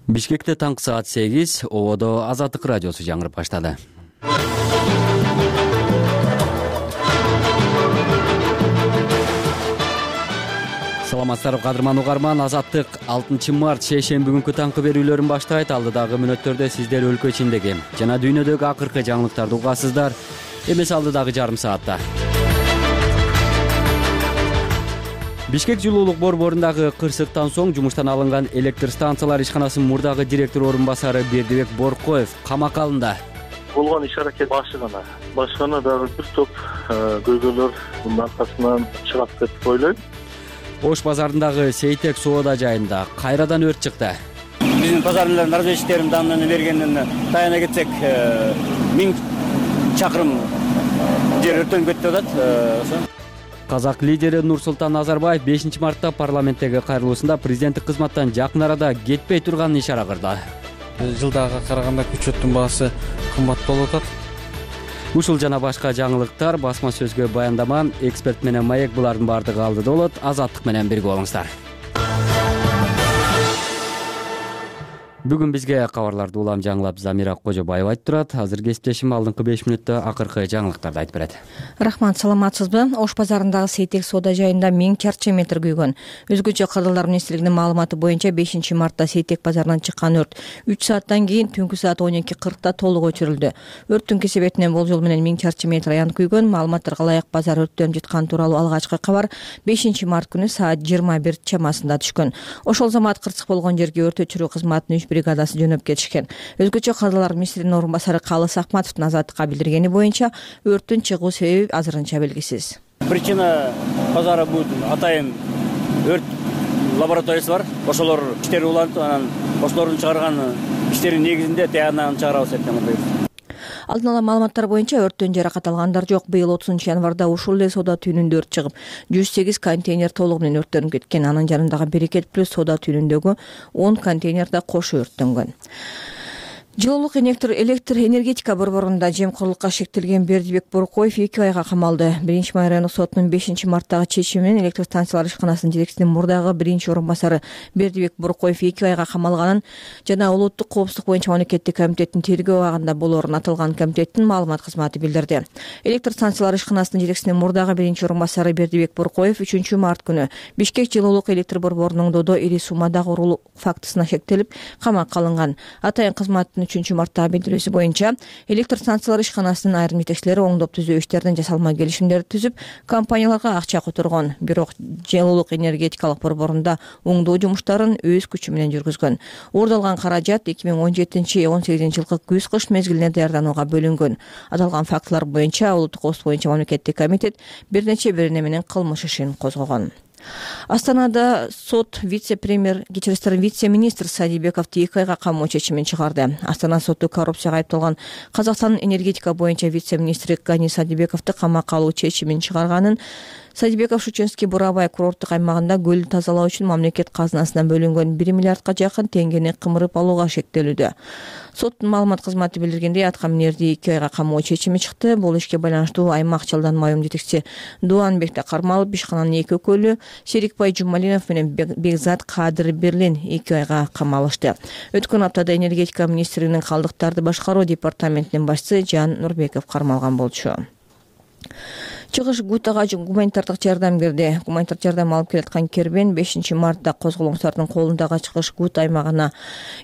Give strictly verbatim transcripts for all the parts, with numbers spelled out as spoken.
Бишкекте таңкы саат сегиз, ободо Азаттык радиосу жаңырып баштады. Саламатсыздарбы кадырман угарман, Азаттык алтынчы март шейшемби күнкү таңкы берүүлөрүн баштайт. Алдыдагы мүнөттөрдө сиздер өлкө ичиндеги жана дүйнөдөгү акыркы жаңылыктарды угасыздар. Эмес алдыдагы жарым саатта. Бишкек жылуулук борборундагы кырсыктан соң жумуштан алынган электр станциялар ишканасынын мурдагы директор орун басары Бердибек Боркоев камакка алынды. Болгон иш-аракет башы гана. Башы гана дагы бир топ көйгөйлөр мунун аркасынан чыгат деп ойлойм. Ош базарындагы Сейтек соода жайында кайрадан өрт чыкты. Биздин базарлардын разведчиктердин данныны бергенин таяна кетсек, миң чакырым жер өрттөнүп кетти деп атат. Казак лидери Нурсултан Назарбаев бешинчи мартта парламенттеги кайрылуусунда президенттик кызматтан жакын арада кетпей турганын ишара кылды. Жылдага караганда күчөттүн баасы кымбат болуп атат. Ушул жана башка жаңылыктар басма сөзгө баяндама, эксперт менен маек булардын бардыгы алдыда болот. Азаттык менен бирге болуңуздар. Бүгүн бизге кабарларды улам жаңылап Замира Кожобаева айтып турат. Азыр кесиптешим алдыңкы беш мүнөттө акыркы жаңылыктарды айтып берет. Рахмат, саламатсызбы? Ош базарындагы Сейтек соода жайында миң чарчы метр күйгөн. Өзгөчө Кырдалдар министрлигинин маалыматы боюнча бешинчи мартта Сейтек базарынан чыккан өрт үч сааттан кийин түнкү саат он эки кыркта толук өчүрүлдү. Өрттүн кесебетинен болжол менен миң чарчы метр аян күйгөн. Маалыматтарга ылайык базар өрттөнүп жатканы тууралуу алгачкы кабар бешинчи март күнү саат жыйырма бир чамасында түшкөн. Ошол замат кырсык болгон жерге өрт өчүрүү кызматынын үч бригадасы жөнөп кетишкен. Өзгөчө Кырдалдар министринин орун басары Калыс Акматовдун Азаттыкка билдиргени боюнча өрттүн чыгуу себеби азырынча белгисиз. Причина базара бут атайын өрт лабораториясы бар. Ошолор иштери улантып, анан ошолордун чыгарган иштеринин негизинде тиянагын чыгарабыз деп айтам. Алдын ала маалыматтар боюнча өрттөн жаракат алгандар жок. Быйыл отузунчу январда ушул эле соода түйүнүндө өрт чыгып, жүз сегиз контейнер толугу менен өрттөнүп кеткен. Анын жанындагы Берекет плюс соода түйүнүндөгү он контейнер да кошо өрттөнгөн. Жылуулук электр энергетика борборунда жемкорлукка шектелген Бердибек Боркоев эки айга камалды. Биринчи май райондук сотунун бешинчи марттагы чечими менен электр станциялар ишканасынын жетекчисинин мурдагы биринчи орун басары Бердибек Боркоев эки айга камалганын жана улуттук коопсуздук боюнча мамлекеттик комитеттин тергөө абагында болоорун аталган комитеттин маалымат кызматы билдирди. Электр станциялар ишканасынын жетекчисинин мурдагы биринчи орун басары Бердибек Боркоев үчүнчү март күнү Бишкек жылуулук электр борборунун Додо ири суммадагы уруу фактысына шектелип камакка алынган. Атайын кызматтын үчүнчү марттагы билдирүүсү боюнча электр станциялар ишканасынын айрым жетекчилери оңдоп түзүү иштерин жасалма келишимдерди түзүп, компанияларга акча которгон. Бирок жылуулук энергетикалык борборунда оңдоо жумуштарын өз күчү менен жүргүзгөн. Уурдалган каражат эки миң он жетинчи он сегизинчи жылкы күз-кыш мезгилине даярданууга бөлүнгөн. Аталган фактылар боюнча улуттук коопсуздук боюнча мамлекеттик комитет бир нече берене менен кылмыш ишин козгогон. Астанада сот вице-премьер, кечирисиңер вице-министр Садибековду эки айга камоо чечимин чыгарды. Астана соту коррупцияга айыпталган Казакстандын энергетика боюнча вице-министри Гани Садибековду камакка алуу чечимин чыгарганын Садибеков Шученский Бурабай курорттук аймагында көлдү тазалоо үчүн мамлекет казынасынан бөлүнгөн бир миллиардка жакын теңгени кымырып алууга шектелүүдө. Соттун маалымат кызматы билдиргендей, аткаминерди эки айга камоо чечими чыкты. Бул ишке байланыштуу аймак жалданма уюм жетекчиси Дуанбек Кармалов, ишкананын эки өкүлү Серикбай Жумалинов менен Бекзат Кадыр Берлин эки айга камалышты. Өткөн аптада энергетика министринин калдыктарды башкаруу департаментинин башчысы Жан Нурбеков кармалган болчу. Чыгыш Гутага гуманитардык жардам кирди. Гуманитардык жардам алып келаткан кербен бешинчи мартта козголоңчулардын колундагы Чыгыш Гут аймагына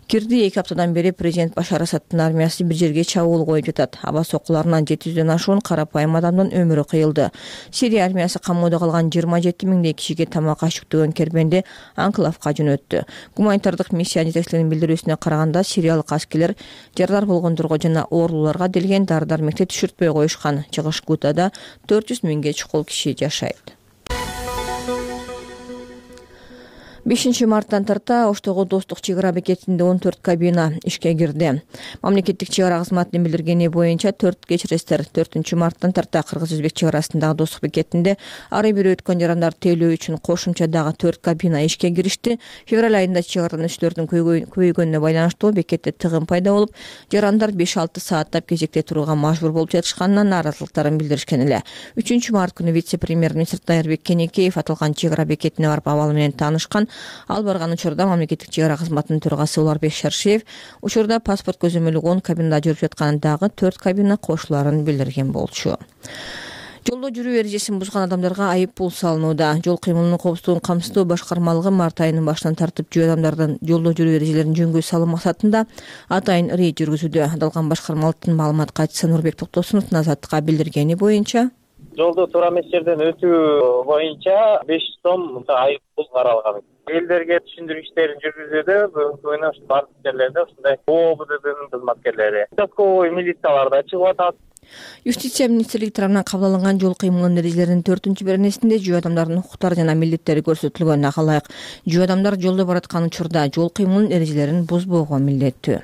кирди. эки аптадан бери президент Башар Асадтын армиясы бир жерге чабуул коюп жатат. Аба сокуларынан жети жүздөн ашуун карапайым адамдын өмүрү кыйылды. Сирия армиясы камоодо калган жыйырма жети миңдей кишиге тамак ашыктөгөн кербенди анклавка жөнөттү. Гуманитардык миссия жетекчилеринин билдирүүсүнө караганда, сириялык аскерлер жардар болгондорго жана оорулууларга делген дары-дармекти түшүртпөй коюшкан. Чыгыш Гутада төрт жүз миңге чукул киши жашайт. бешинчи марттан тарта Оштогу Достук чек ара бекетинде он төрт кабина ишке кирди. Мамлекеттик чек ара кызматынын билдиргени боюнча төрт кечиресиңер төртүнчү марттан тарта Кыргыз-Өзбек чек арасындагы Достук бекетинде ары бери өткөн жарандар тейлөө үчүн кошумча дагы төрт кабина ишке киришти. Февраль айында чек арадан көбөйгөнүнө байланыштуу бекетте тыгын пайда болуп, жарандар беш алты сааттап кезекте турууга мажбур болуп жатышканынан нааразылыктарын билдиришкен эле. үчүнчү март күнү вице-премьер-министр Дайырбек Кенекеев аталган чек ара бекетине барып абалы менен таанышкан. Ал барган учурда мамлекеттик чек ара кызматынын төрагасы Уларбек Шаршеев учурда паспорт көзөмөлү он кабинада жүрүп жатканын, дагы төрт кабина кошуларын билдирген болчу. Жолдо жүрүү эрежесин бузган адамдарга айып пул салынууда. Жол кыймылынын коопсуздугун камсыздоо башкармалыгы март айынын башынан тартып жөө адамдардын жолдо жүрүү эрежелерин жөнгө салуу максатында атайын рейд жүргүзүүдө. Аталган башкармалыктын маалымат катчысы Нурбек Токтосунов Азаттыкка билдиргени боюнча, жолдо туура эмес жерден өтүү боюнча беш жүз сом айып пул каралган. Элдерге түшүндүрүү иштерин жүргүзүүдө бүгүнкү күнү бардык жерлерде ушундай ООБДдын кызматкерлери, участковый милициялар да чыгып атат. Юстиция министрлиги тарабынан кабыл алынган жол кыймылынын эрежелеринин төртүнчү беренесинде жөө адамдардын укуктары жана милдеттери көрсөтүлгөн. Ага ылайык жөө адамдар жолдо бараткан учурда жол кыймылынын эрежелерин бузбоого милдеттүү.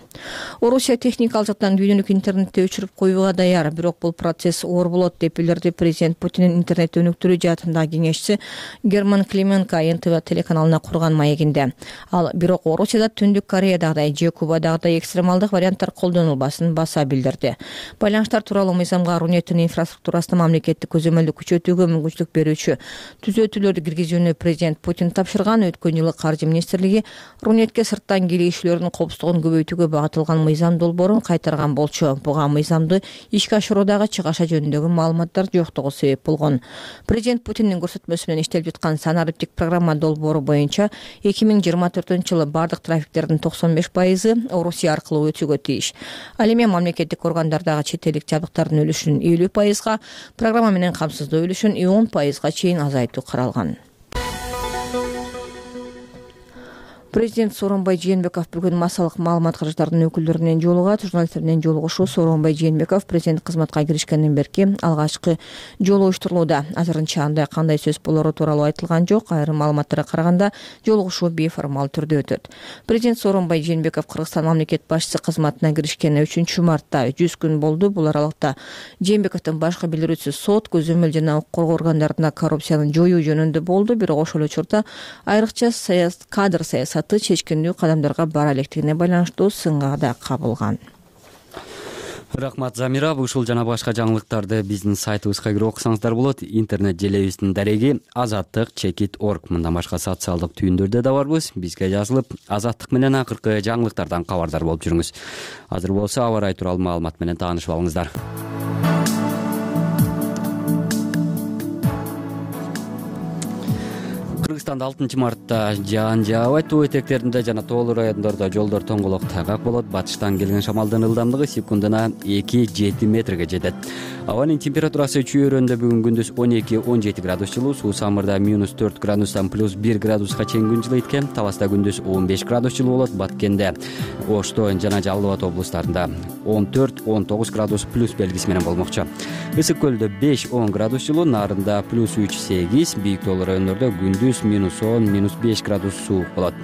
Орусия техникалык жактан видеону интернетте өчүрүп коюуга даяр, бирок бул процесс оор болот деп билдирди президент Путиндин интернет өнүктүрүү жаатындагы кеңешчиси Герман Клименко эн тэ вэ телеканалына курган маегинде. Ал бирок Орусияда Түндүк Кореядагыдай же Кубадагыдай экстремалдык варианттар колдонулбасын баса билдирди. Байланыштар тууралуу мыйзамга Рунеттин инфраструктурасына мамлекеттик көзөмөлдү күчөтүүгө мүмкүнчүлүк берүүчү түзөтүүлөрдү киргизүүнү президент Путин тапшырган. Өткөн жылы Каржы министрлиги Рунетке сырттан келишүүлөрдүн коопсуздугун көбөйтүүгө багытылган мыйзам долбоорун кайтарган болчу. Буга мыйзамды ишке ашыруудагы чыгаша жөнүндөгү маалыматтар жоктугу себеп болгон. Президент Путиндин көрсөтмөсү менен иштелип жаткан санариптик программа долбоору боюнча эки миң жыйырма төртүнчү жылы бардык трафиктердин токсон беш пайызы Орусия аркылуу өтүүгө тийиш. Ал эми мамлекеттик органдардагы чет элдик жабдыктардын үлүшүн элүү пайызга, программа менен камсыздоо үлүшүн он пайызга чейин азайтуу каралган. Президент Сооронбай Жээнбеков бүгүн массалык маалымат каражаттарынын өкүлдөрү менен жолугат. Журналисттер менен жолугушуу Сооронбай Жээнбеков президент кызматка киришкенден берки алгачкы жолу уюштурулууда. Азырынча андай кандай сөз болору тууралуу айтылган жок. Айрым маалыматтарга караганда жолугушуу бейформал түрдө өтөт. Президент Сооронбай Жээнбеков Кыргызстан мамлекет башчысы кызматына киришкенине үчүнчү мартта жүз күн болду. Бул аралыкта Жээнбековдун башкы билдирүүсү сот, көзөмөл жана укук коргоо органдарында коррупцияны жоюу жөнүндө болду. Бирок ошол учурда айрыкча кадр саясаты чечкиндүү кадамдарга бара электигине байланыштуу сынга да кабылган. Рахмат Замира. Ушул жана башка жаңылыктарды биздин сайтыбызга кирип окусаңыздар болот. Интернет желебиздин дареги азаттык чекит орг. Мындан башка социалдык түйүндөрдө да барбыз. Бизге жазылып, Азаттык менен акыркы жаңылыктардан кабардар болуп жүрүңүз. Азыр болсо аба ырайы тууралуу маалымат менен таанышып алыңыздар. Кыргызстанда алтынчы мартта жаан жаабайт. Тоо этектеринде жана тоолуу райондордо жолдор тоңголок тайгак болот. Батыштан келген шамалдын ылдамдыгы секундуна эки жети метрге жетет. Абанын температурасы чүйөрөндө бүгүн күндүз он эки он жети градус жылуу, Суу Самырда минус төрт градустан плюс бир градуска чейин күн жылыйт экен. Таласта күндүз он беш градус жылуу болот. Баткенде, Ошто жана Жалал Абад облустарында он төрт он тогуз градус плюс белгиси менен болмокчу. Ысык көлдө беш он градус жылуу, Нарында плюс үч сегиз, бийик тоолуу райондордо күндүз минус он минус беш градус суук болот.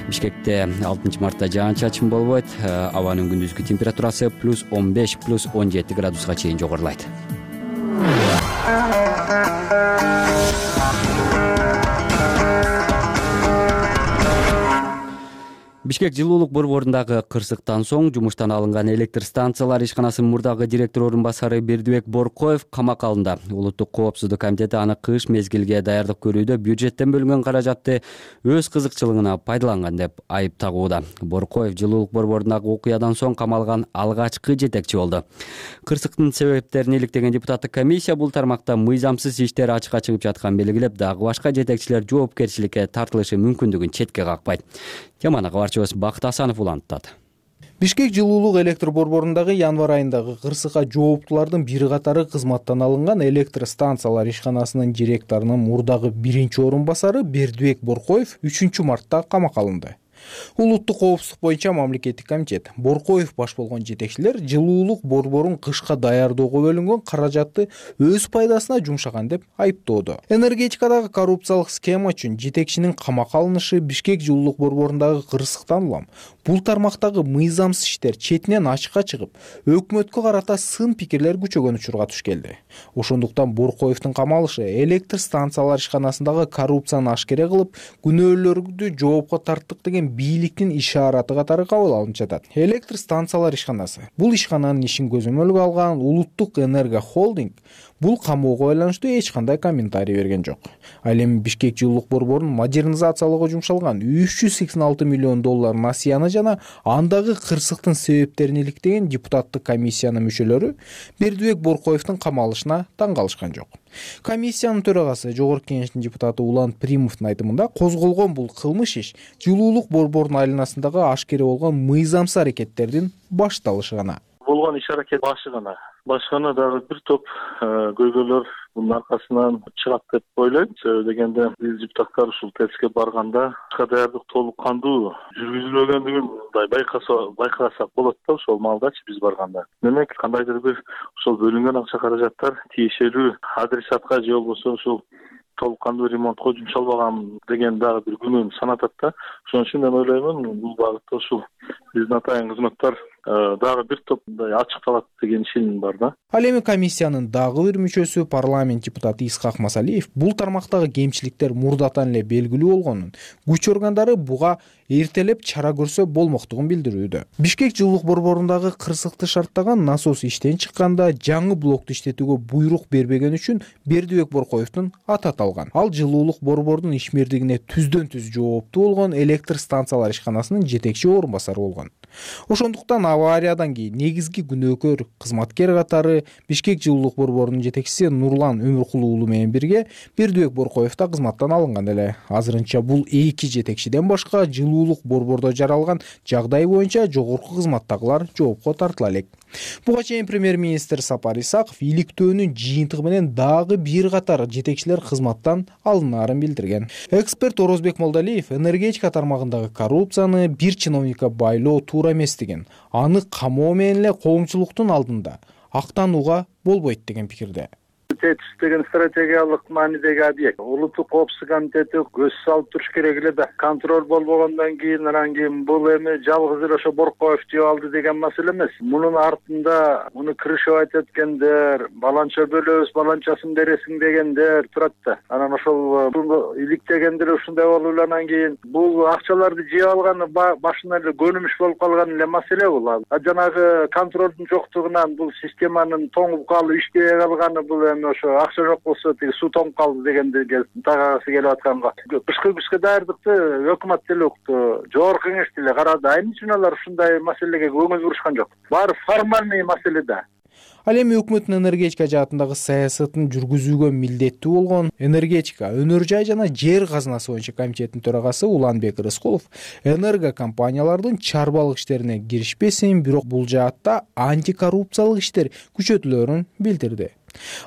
Бишкекте алтынчы мартта жаан-чачын болбойт. Абанын күндүзгү температурасы плюс он беш плюс он жети градуска чейин жогорулайт. Бишкек жылуулук борборундагы кырсыктан соң жумуштан алынган электр станциялар ишканасынын мурдагы директор орун басары Бердибек Боркоев камакка алынды. Улуттук коопсуздук комитети аны кыш мезгилге даярдык көрүүдө бюджеттен бөлүнгөн каражатты өз кызыкчылыгына пайдаланган деп айып тагууда. Боркоев жылуулук борборундагы окуядан соң камалган алгачкы жетекчи болду. Кырсыктын себептерин иликтеген депутаттык комиссия бул тармакта мыйзамсыз иштер ачыкка чыгып жатканын белгилеп, дагы башка жетекчилер жоопкерчиликке тартылышы мүмкүндүгүн четке какпайт. Теманы кабарчыбыз Бакыт Асанов улантат. Бишкек жылуулук электр борборундагы январь айындагы кырсыкка жооптулардын бир катары кызматтан алынган электр станциялар ишканасынын директорунун мурдагы биринчи орун басары Бердибек Боркоев үчүнчү мартта камакка алынды. Улуттук коопсуздук боюнча мамлекеттик комитет Боркоев баш болгон жетекчилер жылуулук борборун кышка даярдоого бөлүнгөн каражатты өз пайдасына жумшаган деп айыптоодо. Энергетикадагы коррупциялык схема үчүн жетекчинин камакка алынышы Бишкек жылуулук борборундагы кырсыктан улам бул тармактагы мыйзамсыз иштер четинен ачыкка чыгып, өкмөткө карата сын пикирлер күчөгөн учурга туш келди. Ошондуктан Боркоевдун камалышы электр станциялар ишканасындагы коррупцияны ашкере кылып, күнөөлөрдү жоопко тарттык деген бийликтин ишараты катары кабыл алынып жатат. Электр станциялар ишканасы бул ишкананын ишин көзөмөлгө алган Улуттук энерго холдинг бул камоого байланыштуу эч кандай комментарий берген жок. Ал эми Бишкек жылуулук борборун модернизациялоого жумшалган үч жүз сексен алты миллион доллар насыяны жана андагы кырсыктын себептерин иликтеген депутаттык комиссиянын мүчөлөрү Бердибек Боркоевдун камалышына таң калышкан жок. Комиссиянын төрагасы, Жогорку Кеңештин депутаты Улан Примовдун айтымында, козголгон бул кылмыш иш жылуулук борборунун айланасындагы ашкере болгон мыйзамсыз аракеттердин башталышы гана. Болгон иш-аракет башы гана. Башкана дагы бир топ көйгөйлөр мунун аркасынан чыгат деп ойлойм. Себеби дегенде биз депутаттар ушул тестке барганда даярдык толук кандуу жүргүзүлбөгөндүгүн мындай байкаса байкасак болот да ошол маалдачы биз барганда. Демек кандайдыр бир ошол бөлүнгөн акча каражаттар тиешелүү адресатка же болбосо ушул толук кандуу ремонтко жумшалбаган деген дагы бир күнүн санатат да. Ошон үчүн мен ойлоймун, бул багытта ушул биздин атайын кызматтар дагы бир топ мындай ачыкталат деген ишеним бар да. Ал эми комиссиянын дагы бир мүчөсү, парламент депутаты Исхак Масалиев, бул тармактагы кемчиликтер мурдатан эле белгилүү болгонун, күч органдары буга эртелеп чара көрсө болмоктугун билдирүүдө. Бишкек жылуулук борборундагы кырсыкты шарттаган насос иштен чыкканда жаңы блокту иштетүүгө буйрук бербеген үчүн Бердибек Боркоевдун аты аталган. Ал жылуулук борборунун ишмердигине түздөн түз жооптуу болгон электр станциялар ишканасынын жетекчи орун басары болгон. Ошондуктан авариядан кийин негизги күнөөкөр кызматкер катары Бишкек жылуулук борборунун жетекчиси Нурлан Өмүркулуу уулу менен бирге Бердибек Боркоев да кызматтан алынган эле. Азырынча бул эки жетекчиден башка жылуулук борбордо жаралган жагдай боюнча жогорку кызматтагылар жоопко тартыла элек. Буга чейин премьер-министр Сапар Исаков иликтөөнүн жыйынтыгы менен дагы бир катар жетекчилер кызматтан алынаарын билдирген. Эксперт Орозбек Молдалиев энергетика тармагындагы коррупцияны бир чиновникке байлоо туура эмес деген, аны камоо менен эле коомчулуктун алдында актанууга болбойт деген пикирде. ТЭЦ деген стратегиялык маанидеги объект. Улуттук коопсуздук комитети көз салып туруш керек эле да. Контроль болбогондон кийин анан кийин бул эми жалгыз эле ошо Боркоев жеп алды деген маселе эмес. Мунун артында муну крышевать эткендер, баланча бөлөбүз, баланчасын бересиң дегендер турат да. Анан ошол иликтегендер ушундай болуп анан кийин бул акчаларды жеп алганы башынан эле көнүмүш болуп калган эле маселе бул. А жанагы контролдун жоктугунан бул системанын тоңуп калып иштебей калганы бул ошо акча жок болсо тиги суу тоңуп калды дегенди тагасы келип атканга. Кышкы күзгө даярдыкты өкмөт деле укту, жогорку кеңеш деле карады. Айнын үчүн алар ушундай маселеге көңүл бурушкан жок. Баары формальный маселе да. Ал эми өкмөттүн энергетика жаатындагы саясатын жүргүзүүгө милдеттүү болгон энергетика, өнөр жай жана жер казынасы боюнча комитеттин төрагасы Уланбек Рыскулов энерго компаниялардын чарбалык иштерине киришпесин, бирок бул жаатта антикоррупциялык иштер күчөтүлөрүн билдирди.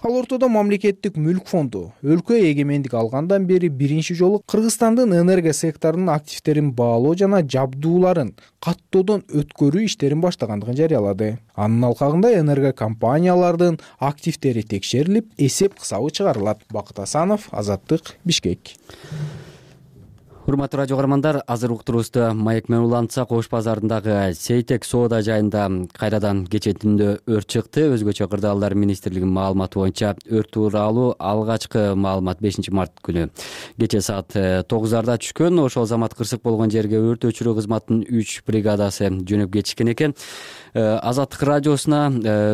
Ал ортодо мамлекеттик мүлк фонду өлкө эгемендик алгандан бери биринчи жолу Кыргызстандын энерго секторунун активтерин баалоо жана жабдууларын каттоодон өткөрүү иштерин баштагандыгын жарыялады. Анын алкагында энерго компаниялардын активтери текшерилип, эсеп кысабы чыгарылат. Бакыт Асанов, Азаттык, Бишкек. Урматтуу радио каармандар, азыр уктуруубузду маек менен улантсак, Ош базарындагы Сейтек соода жайында кайрадан кечээ түндө өрт чыкты. Өзгөчө кырдаалдар министрлигинин маалыматы боюнча өрт тууралуу алгачкы маалымат бешинчи март күнү кечээ саат тогуздарда түшкөн. Ошол замат кырсык болгон жерге өрт өчүрүү кызматынын үч бригадасы жөнөп кетишкен экен. Азаттык радиосуна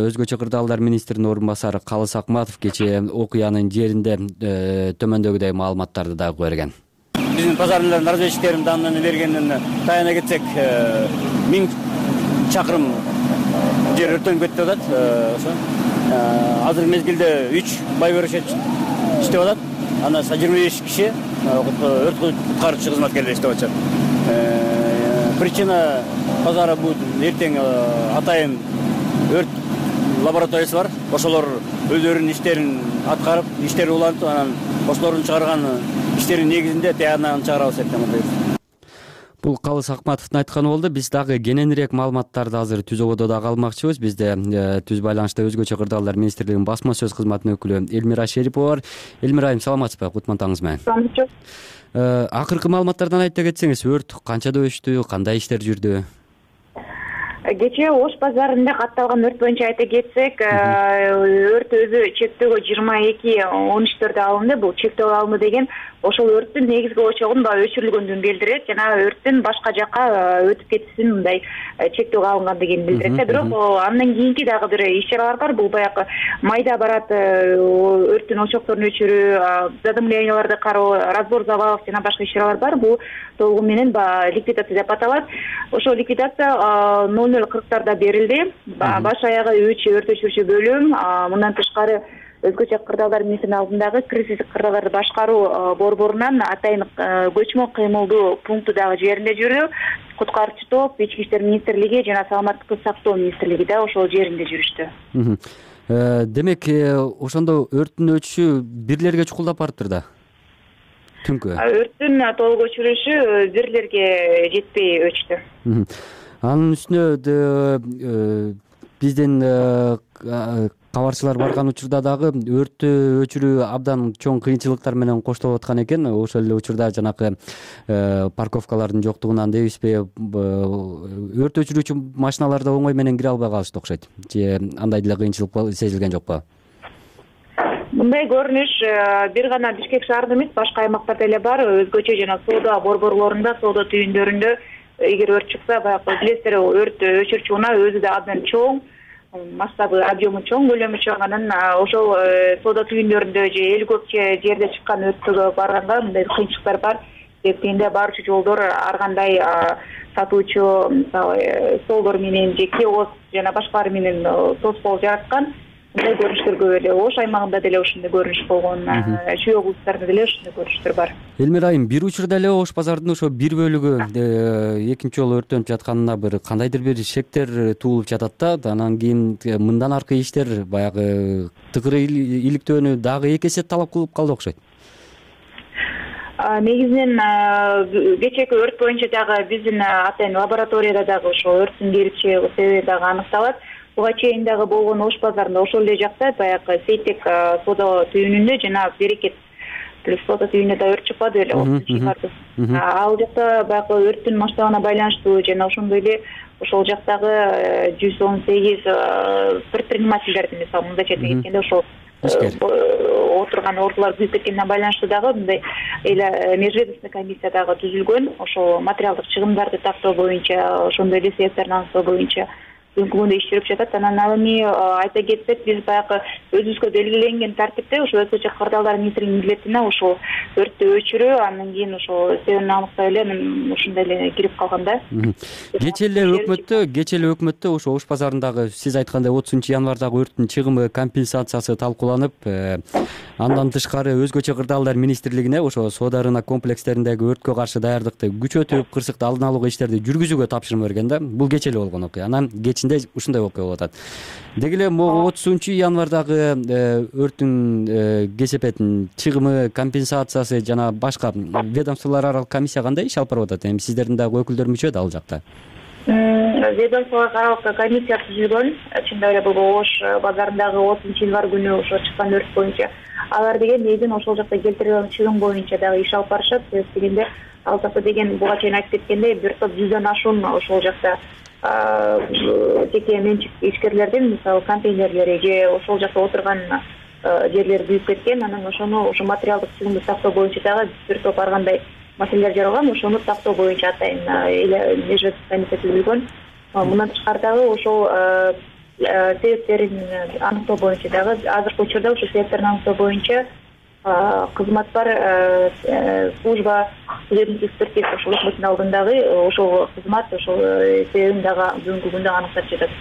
өзгөчө кырдаалдар министринин орун басары Калыс Акматов кечээ окуянын жеринде төмөндөгүдөй маалыматтарды дагы берген. Биздин базарлардын разведчиктердин данныны бергенин таяна кетсек, миң чакырым жер өрттөнүп кетти деп атат. Ошо азыр мезгилде үч бай берешет иштеп атат. Анан жыйырма беш киши өрт куткаруучу кызматкерлер иштеп атышат. Причина базара будет эртең атайын өрт лабораториясы бар. Ошолор өздөрүнүн иштерин аткарып, иштери улантып, анан ошолордун чыгарган иштерин негизинде тиянагын чыгарабыз деп атат. Бул Калыс Акматовдун айтканы болду. Биз дагы кененирээк маалыматтарды азыр түзөбөдө дагы алмакчыбыз. Бизде түз байланышта өзгөчө кырдаалдар министрлигинин басма сөз кызматынын өкүлү Элмира Шерипова бар. Элмира айым, саламатсызбы? Кутман таңыңыз менен. Саламатчы. Акыркы маалыматтардан айта кетсеңиз, өрт канчада өчтү, кандай иштер жүрдү? Кечээ Ош базарында катталган өрт боюнча айта кетсек, өрт өзү чектөөгө жыйырма эки он үчтөрдө алынды. Бул чектөөгө алынды деген ошол өрттүн негизги очогун баягы өчүрүлгөндүгүн билдирет жана өрттүн башка жакка өтүп кетишин мындай чектөө алынгандыгын билдирет да. Бирок андан кийинки дагы бир иш чаралар бар. Бул баягы майда барат өрттүн очокторун өчүрүү, задымленияларды кароо, разбор завалов жана башка иш чаралар бар. Бул толугу менен баягы ликвидация деп аталат. Ошол ликвидация ноль ноль кырктарда берилди. Баш аягы үч өрт өчүрүүчү бөлүм, мындан тышкары өзгөчө кырдаалдар министринин алдындагы кризистик кырдаалдарды башкаруу борборунан атайын көчмө кыймылдуу пункту дагы жеринде жүрдү. Куткарчы топ, ички иштер министрлиги жана саламаттыкты сактоо министрлиги да ошол жеринде жүрүштү. Демек, ошондо өрттүн өчүшү бирлерге чукулдап барыптыр да. Түнкү. Өрттүн толук өчүрүшү бирлерге жетпей өчтү. Анын үстүнө биздин кабарчылар барган учурда дагы өрттү өчүрүү абдан чоң кыйынчылыктар менен коштолуп аткан экен. Ошол эле учурда жанакы парковкалардын жоктугунан дебизби, өрт өчүрүүчү машиналар да оңой менен кире албай калышты окшойт. Же андай деле кыйынчылык сезилген жокпу? Мындай көрүнүш бир гана Бишкек шаарында эмес, башка аймактарда эле бар. Өзгөчө жана соода борборлорунда, соода түйүндөрүндө эгер өрт чыкса, баягы билесиздер, өрт өчүрүүчү унаа өзү да абдан чоң, масштабы, объему чоң, көлөмү чоң. Анан ошол соода түйүндөрүндө же эл көп жерде чыккан өрткө барганда мындай кыйынчылыктар бар. Себебинде барчу жолдор ар кандай сатуучу, мисалы, столдор менен же киоск жана башкалар менен тоскоол жараткан. Мындай көрүнүштөр көп эле. Ош аймагында деле ошондой көрүнүш болгон, Чүй облустарында деле ошондой көрүнүштөр бар. Элмира айым, бир учурда эле Ош базарынын ошо бир бөлүгү экинчи жолу өрттөнүп жатканына бир кандайдыр бир шектер туулуп жатат да. Анан кийин мындан аркы иштер баягы тыкыры иликтөөнү дагы эки эсе талап кылып калды окшойт. Негизинен кечээки өрт боюнча дагы биздин атайын лабораторияда дагы ошо өрттүн келип чыгуу себеби дагы аныкталат. Буга чейин дагы болгон Ош базарында ошол эле жакта баягы Сейтек соода түйүнүндө жана Берекет плюс соода түйүнүндө да өрт чыкпады беле. Ал жакта баягы өрттүн масштабына байланыштуу жана ошондой эле ошол жактагы жүз он сегиз предпринимательдердин, мисалы, мындайча дегенде ошол отурган ордулар күйүп кеткенине байланыштуу дагы мындай эле межведомственный комиссия дагы түзүлгөн. Ошол материалдык чыгымдарды тактоо боюнча, ошондой эле себептерин аныктоо боюнча бүгүнкү күндө иш жүрүп жатат. Анан ал эми айта кетсек, биз баягы өзүбүзгө белгиленген тартипте ошо өзгөчө кырдаалдар министринин милдетине ошол өрттү өчүрүү, андан кийин ошол себебин аныктап эле ушундай эле кирип калган да. Кечээ эле өкмөттө, кечээ эле өкмөттө ошо Ош базарындагы сиз айткандай отузунчу январдагы өрттүн чыгымы компенсациясы талкууланып, андан тышкары өзгөчө кырдаалдар министрлигине ошо соода рынок комплекстериндеги өрткө каршы даярдыкты күчөтүп, кырсыкты алдын алуу иштерди жүргүзүүгө тапшырма берген да. Бул кечээ эле болгон окуя. Анан кечинде ушундай окуя болуп атат. Деги эле могу отузунчу январдагы өрттүн кесепетин чыгымы, компенсациясы жана башка ведомстволор аралык комиссия кандай иш алып барып атат? Эми сиздердин дагы өкүлдөр мүчө да ал жакта? Ведомстволор аралык комиссия түзүлгөн. Чындап эле бул Ош базарындагы отузунчу январь күнү ошо чыккан өрт боюнча алар деген негизинен ошол жакта келтирилген чыгым боюнча дагы иш алып барышат. Себеби дегенде ал жакта деген буга чейин айтып кеткендей бир топ жүздөн ашуун ошол жакта жеке менчик ишкерлердин, мисалы, контейнерлери же ошол жакта отурган жерлер күйүп кеткен. Анан ошону ошо материалдык чыгымды тактоо боюнча дагы бир топ ар кандай маселелер жаралган. Ошону тактоо боюнча атайын эле межведомственный комиссия түзүлгөн. Мындан тышкары дагы ошол себептерин аныктоо боюнча дагы азыркы учурда ошо себептерин аныктоо боюнча кызмат бар, служба судебный экспертиза ошол өкмөттүн алдындагы ошол кызмат ошол себебин дагы бүгүнкү күндө аныктап жатат.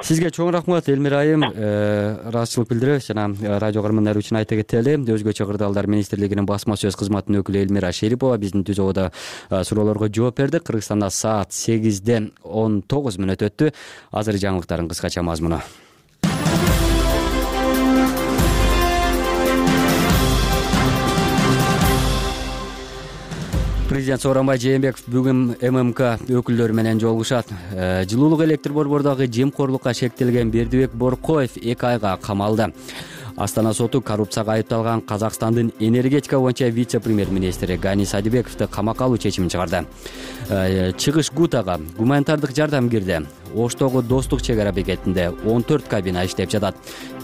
Сизге чоң рахмат, Элмира айым. Ыраазычылык билдирип жана радио көрөрмандар үчүн айта кетели, өзгөчө кырдаалдар министрлигинин басма сөз кызматынын өкүлү Элмира Шерипова биздин түзөөгө суроолорго жооп берди. Кыргызстанда саат сегизден он тогуз мүнөт өттү. Азыр жаңылыктардын кыскача мазмуну. Президент Сооронбай Жээнбеков бүгүн эм эм ка өкүлдөрү менен жолугушат. Жылуулук электр борбордогу жемкорлукка шектелген Бердибек Боркоев эки айга камалды. Астана соту коррупцияга айыпталган Казакстандын энергетика боюнча вице-премьер-министри Гани Садибековду камакка алуу чечимин чыгарды. Чыгыш Гутага гуманитардык жардам кирди. Оштогу Достук чек ара бекетинде он төрт кабина иштеп жатат.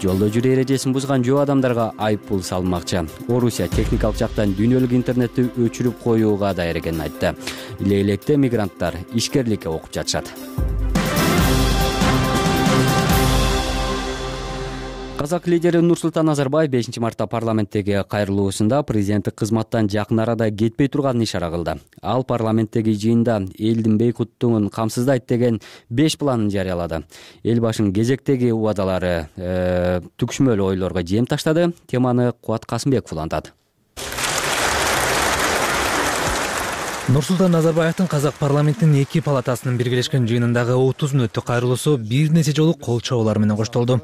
Жолдо жүрүү эрежесин бузган жөө адамдарга айып пул салынмакчы. Орусия техникалык жактан дүйнөлүк интернетти өчүрүп коюуга даяр экенин айтты. Лейлекте мигранттар ишкерликке окуп жатышат. Казак лидери Нурсултан Назарбаев бешинчи мартта парламенттеги кайрылуусунда президенттик кызматтан жакын арада кетпей турганын ишара кылды. Ал парламенттеги жыйында элдин бейкуттугун камсыздайт деген беш планын жарыялады. Эл башынын кезектеги убадалары э, түкшмөл ойлорго жем таштады. Теманы Кубат Касымбеков улантат. Нурсултан Назарбаевдин Казак парламентинин эки палатасынын биргелешкен жыйынындагы отуз мүнөттүк кайрылуусу бир нече жолу кол чабуулар менен коштолду.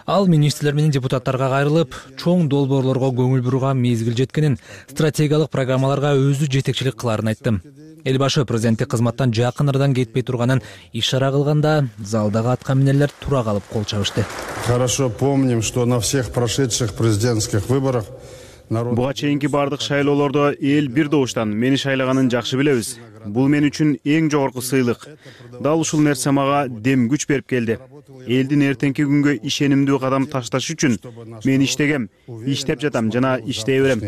Ал министрлер менен депутаттарга кайрылып, чоң долбоорлорго көңүл буруга мезгил жеткенин, стратегиялык программаларга өзү жетекчилик кыларын айтты. Эл башы президенттик кызматтан жакын арадан кетпей турганын ишара кылганда, залдагы атка минерлер тура калып кол чабышты. Хорошо помним, что на всех прошедших президентских выборах Буга чейинки бардык шайлоолордо эл бир добуштан мени шайлаганын жакшы билебиз. Бул мен үчүн эң жогорку сыйлык. Дал ушул нерсе мага дем күч берип келди. Элдин эртеңки күнгө ишенимдүү кадам ташташ үчүн мен иштегем, иштеп жатам жана иштей берем.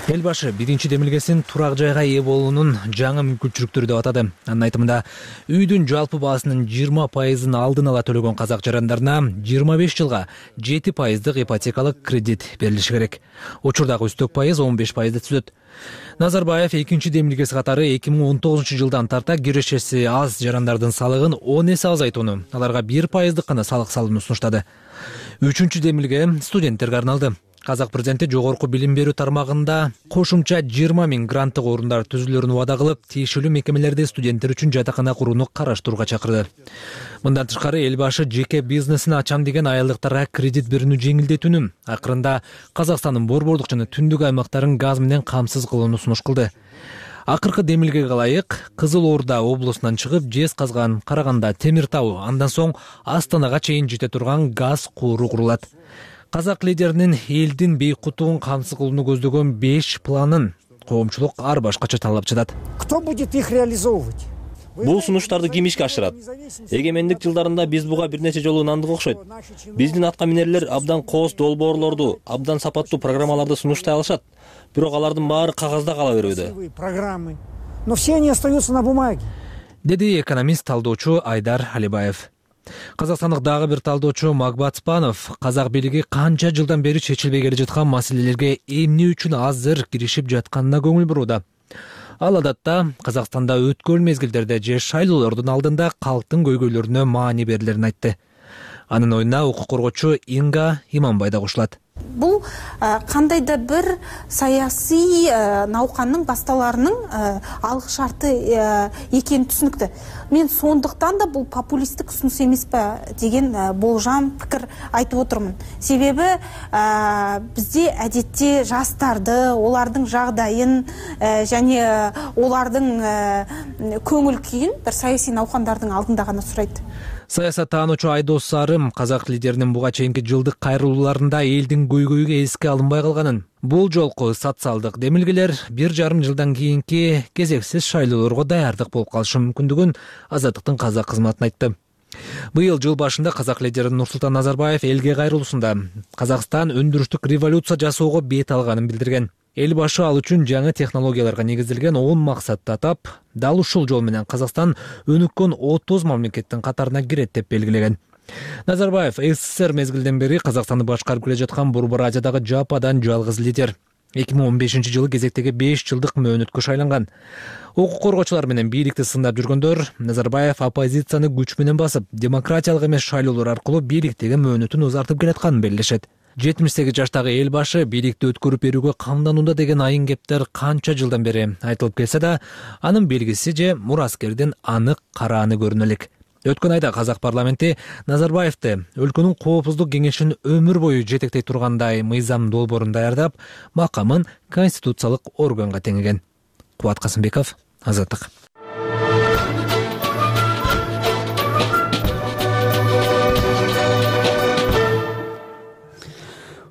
Эл башы биринчи демилгесин турак жайга ээ болуунун жаңы мүмкүнчүлүктөрү деп атады. Анын айтымында, үйдүн жалпы баасынын жыйырма пайызын алдын ала төлөгөн казак жарандарына жыйырма беш жылга жети пайыздык ипотекалык кредит берилиши керек. Учурдагы үстөк пайыз он беш пайызды түзөт. Назарбаев экинчи демилгеси катары эки миң он тогузунчу жылдан тарта кирешеси аз жарандардын салыгын он эсе азайтууну, аларга бир пайыздык гана салык салууну сунуштады. Үчүнчү демилге студенттерге арналды. Казак президенти жогорку билим берүү тармагында кошумча жыйырма миң гранттык орундар түзүлөрүн убада кылып, тиешелүү мекемелерде студенттер үчүн жатакана курууну караштырууга чакырды. Мындан тышкары эл башы жеке бизнесин ачам деген аялдыктарга кредит берүүнү жеңилдетүүнү, акырында Казакстандын борбордук жана түндүк аймактарын газ менен камсыз кылууну сунуш кылды. Акыркы демилгеге ылайык Кызыл Орда облусунан чыгып, Жез Казган, Караганда, Темир Тау, андан соң Астанага чейин жете турган газ кууру курулат. Казак лидеринин элдин бейкуттугун камсыз кылууну көздөгөн беш планын коомчулук ар башкача талап жатат. Кто будет их реализовывать? Бул сунуштарды ким ишке ашырат? Эгемендик жылдарында биз буга бир нече жолу ынандык окшойт. Биздин атка минерлер абдан кооз долбоорлорду, абдан сапаттуу программаларды сунуштай алышат. Бирок алардын баары кагазда кала берүүдө. Программы. Но все они остаются на бумаге. Деди экономист талдоочу Айдар Алибаев. Казакстандык дагы бир талдоочу Магбат Спанов казак бийлиги канча жылдан бери чечилбей келе жаткан маселелерге эмне үчүн азыр киришип жатканына көңүл бурууда. Ал адатта Казакстанда өткөн мезгилдерде же шайлоолордун алдында калктын көйгөйлөрүнө маани берилерин айтты. Анын оюна укук коргоочу Инга Иманбай да кошулат. Бул кандайда бир саясий науканын башталарынын алгы шарты экени түшүнүктүү. Мен сондуктан да бул популисттик сунуш эмеспи деген болжам пикир айтып отурмун. Себеби бизде адетте жаштарды, олардын жагдайын жана олардын көңүл күйүн бир саясий наукандардын алдында гана сурайт. Саясаттануучу Айдос Сарым казак лидеринин буга чейинки жылдык кайрылууларында элдин көйгөйгө эске алынбай калганын, бул жолку социалдык демилгелер бир жарым жылдан кийинки кезексиз шайлоолорго даярдык болуп калышы мүмкүндүгүн Азаттыктын казак кызматын айтты. Быйыл жыл башында казак лидери Нурсултан Назарбаев элге кайрылуусунда Казакстан өндүрүштүк революция жасоого бет алганын билдирген. Эл башы ал үчүн жаңы технологияларга негизделген он максатты атап, дал ушул жол менен Казакстан өнүккөн отуз мамлекеттин катарына кирет деп белгилеген. Назарбаев СССР мезгилден бери Казакстанды башкарып келе жаткан Борбор Азиядагы жападан жалгыз лидер. эки миң он бешинчи жылы кезектеги беш жылдык мөөнөткө шайланган. Укук коргоочулар менен бийликти сындап жүргөндөр Назарбаев оппозицияны күч менен басып, демократиялык эмес шайлоолор аркылуу бийликтеги мөөнөтүн узартып келатканын белгилешет. жетимиш сегиз жаштагы эл башы бийликти өткөрүп берүүгө камданууда деген айын кептер канча жылдан бери айтылып келсе да, анын белгиси же мураскердин анык карааны көрүнө элек. Өткөн айда казак парламенти Назарбаевди өлкөнүн коопсуздук кеңешин өмүр бою жетектей тургандай мыйзам долбоорун даярдап, макамын конституциялык органга теңеген. Кубат Касымбеков, Азаттык.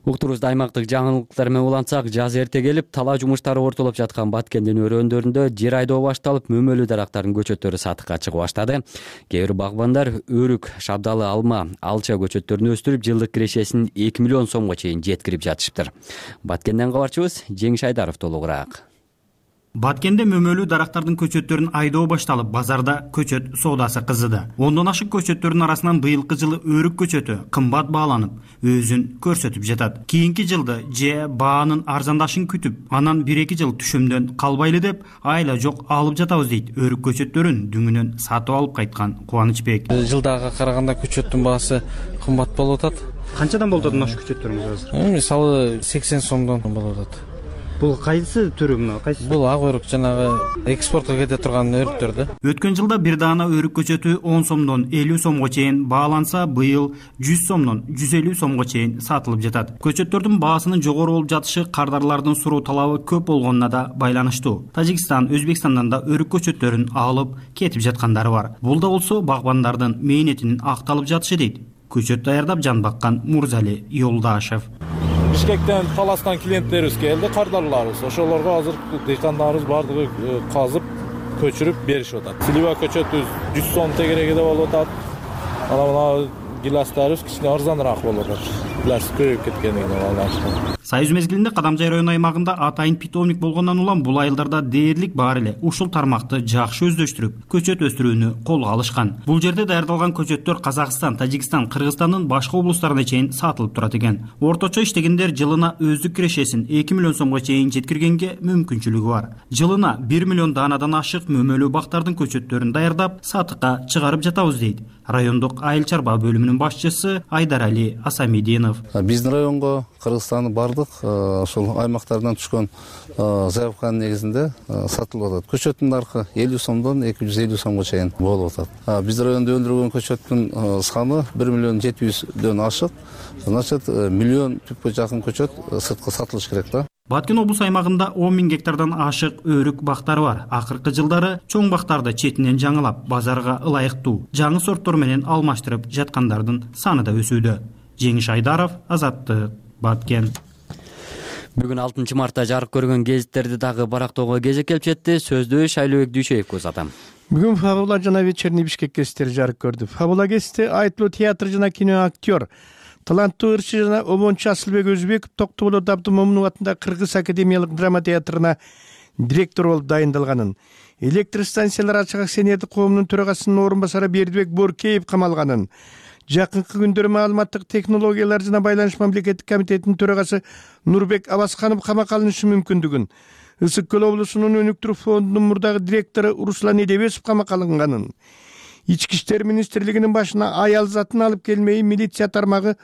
Уктурубузда аймактык жаңылыктар менен улантсак, жаз эрте келип, талаа жумуштары ортолоп жаткан Баткендин өрөөндөрүндө жер айдоо башталып, мөмөлүү дарактардын көчөттөрү сатыкка чыга баштады. Кээ бир багбандар өрүк, шабдалы, алма, алча көчөттөрүн өстүрүп, жылдык кирешесин эки миллион сомго чейин жеткирип жатышыптыр. Баткенден кабарчыбыз Жеңиш Айдаров толугураак. Баткенде мөмөлүү дарактардын көчөттөрүн айдоо башталып, базарда көчөт соодасы кызыды. Ондон ашык көчөттөрдүн арасынан быйылкы жылы өрүк көчөтү кымбат бааланып, өзүн көрсөтүп жатат. Кийинки жылды же баанын арзандашын күтүп, анан бир эки жыл түшүмдөн калбайлы деп айла жок алып жатабыз дейт өрүк көчөттөрүн дүңүнөн сатып алып кайткан Кубанычбек. Жылдага караганда көчөттүн баасы кымбат болуп атат. Канчадан болуп атат ошо көчөттөрүңүз азыр? Мисалы сексен сомдон болуп атат. Бул кайсы түрү мына? Кайсы? Бул ак өрүк, жанагы экспортко кете турган өрүктөр да. Өткөн жылда бир даана өрүк көчөтү он сомдон элүү сомго чейин бааланса, быйыл жүз сомдон жүз элүү сомго чейин сатылып жатат. Көчөттөрдүн баасынын жогору болуп жатышы кардарлардын суроо талабы көп болгонуна да байланыштуу. Тажикстан, Өзбекстандан да өрүк көчөттөрүн алып кетип жаткандары бар. Бул да болсо багбандардын мээнетинин акталып жатышы дейт көчөт даярдап жан баккан Мурзали Юлдашев. Бишкектен, Таластан клиенттерибиз келди, кардарларыбыз. Ошолорго азыр дыйкандарыбыз бардыгы казып, көчүрүп беришип атат. Слива көчөтүбүз жүз сом тегерегиде болуп атат. Ана мына гиластарыбыз кичине арзаныраак болуп атат. Гилас көбөйүп кеткендигине байланыштуу. Союз мезгилинде Кадамжай району аймагында атайын питомник болгондон улам бул айылдарда дээрлик бар эле ушул тармакты жакшы өздөштүрүп, көчөт өстүрүүнү колго алышкан. Бул жерде даярдалган көчөттөр Казакстан, Тажикстан, Кыргызстандын башка облустарына чейин сатылып турат экен. Орточо иштегендер жылына өздүк кирешесин эки миллион сомго чейин жеткиргенге мүмкүнчүлүгү бар. Жылына бир миллион даанадан ашык мөмөлүү бактардын көчөттөрүн даярдап, сатыкка чыгарып жатабыз дейт райондук айыл чарба бөлүмүнүн башчысы Айдарали Асамидинов. Биздин районго Кыргызстандын бардык ошол аймактардан түшкөн заявканын негизинде сатылып атат. Көчөттүн наркы элүү сомдон эки жүз элүү сомго чейин болуп атат. Биздин райондо өндүрүлгөн көчөттүн саны бир миллион жети жүздөн ашык. Значит, миллион түпкө жакын көчөт сыртка сатылыш керек да. Баткен облус аймагында он миң гектардан ашык өрүк бактары бар. Акыркы жылдары чоң бактарды четинен жаңылап, базарга ылайыктуу жаңы сорттор менен алмаштырып жаткандардын саны да өсүүдө. Жеңиш Айдаров, Азаттык, Баткен. Бүгүн алтынчы мартта жарык көргөн гезиттерди дагы барактоого кезек келип жетти. Сөздү Шайлообек Дүйшеевге узатам. Бүгүн Фабула жана вечерний Бишкек гезиттери жарык көрдү. Фабула гезити айтылуу театр жана кино актер, таланттуу ырчы жана обончу Асылбек Өзбеков Токтогул Абдымомунов атындагы Кыргыз академиялык драма театрына директор болуп дайындалганын, электр станциялар ачык акционердик коомунун төрагасынын орун басары Бердибек Боркеев камалганын, жакынкы күндөрү маалыматтык технологиялар жана байланыш мамлекеттик комитетинин төрагасы Нурбек Абасканов камакка алынышы мүмкүндүгүн, Ысык Көл облусунун өнүктүрүү фондунун мурдагы директору Руслан Эдебесов камакка алынганын, Ички иштер министрлигинин башына аял затын алып келмей милиция тармагы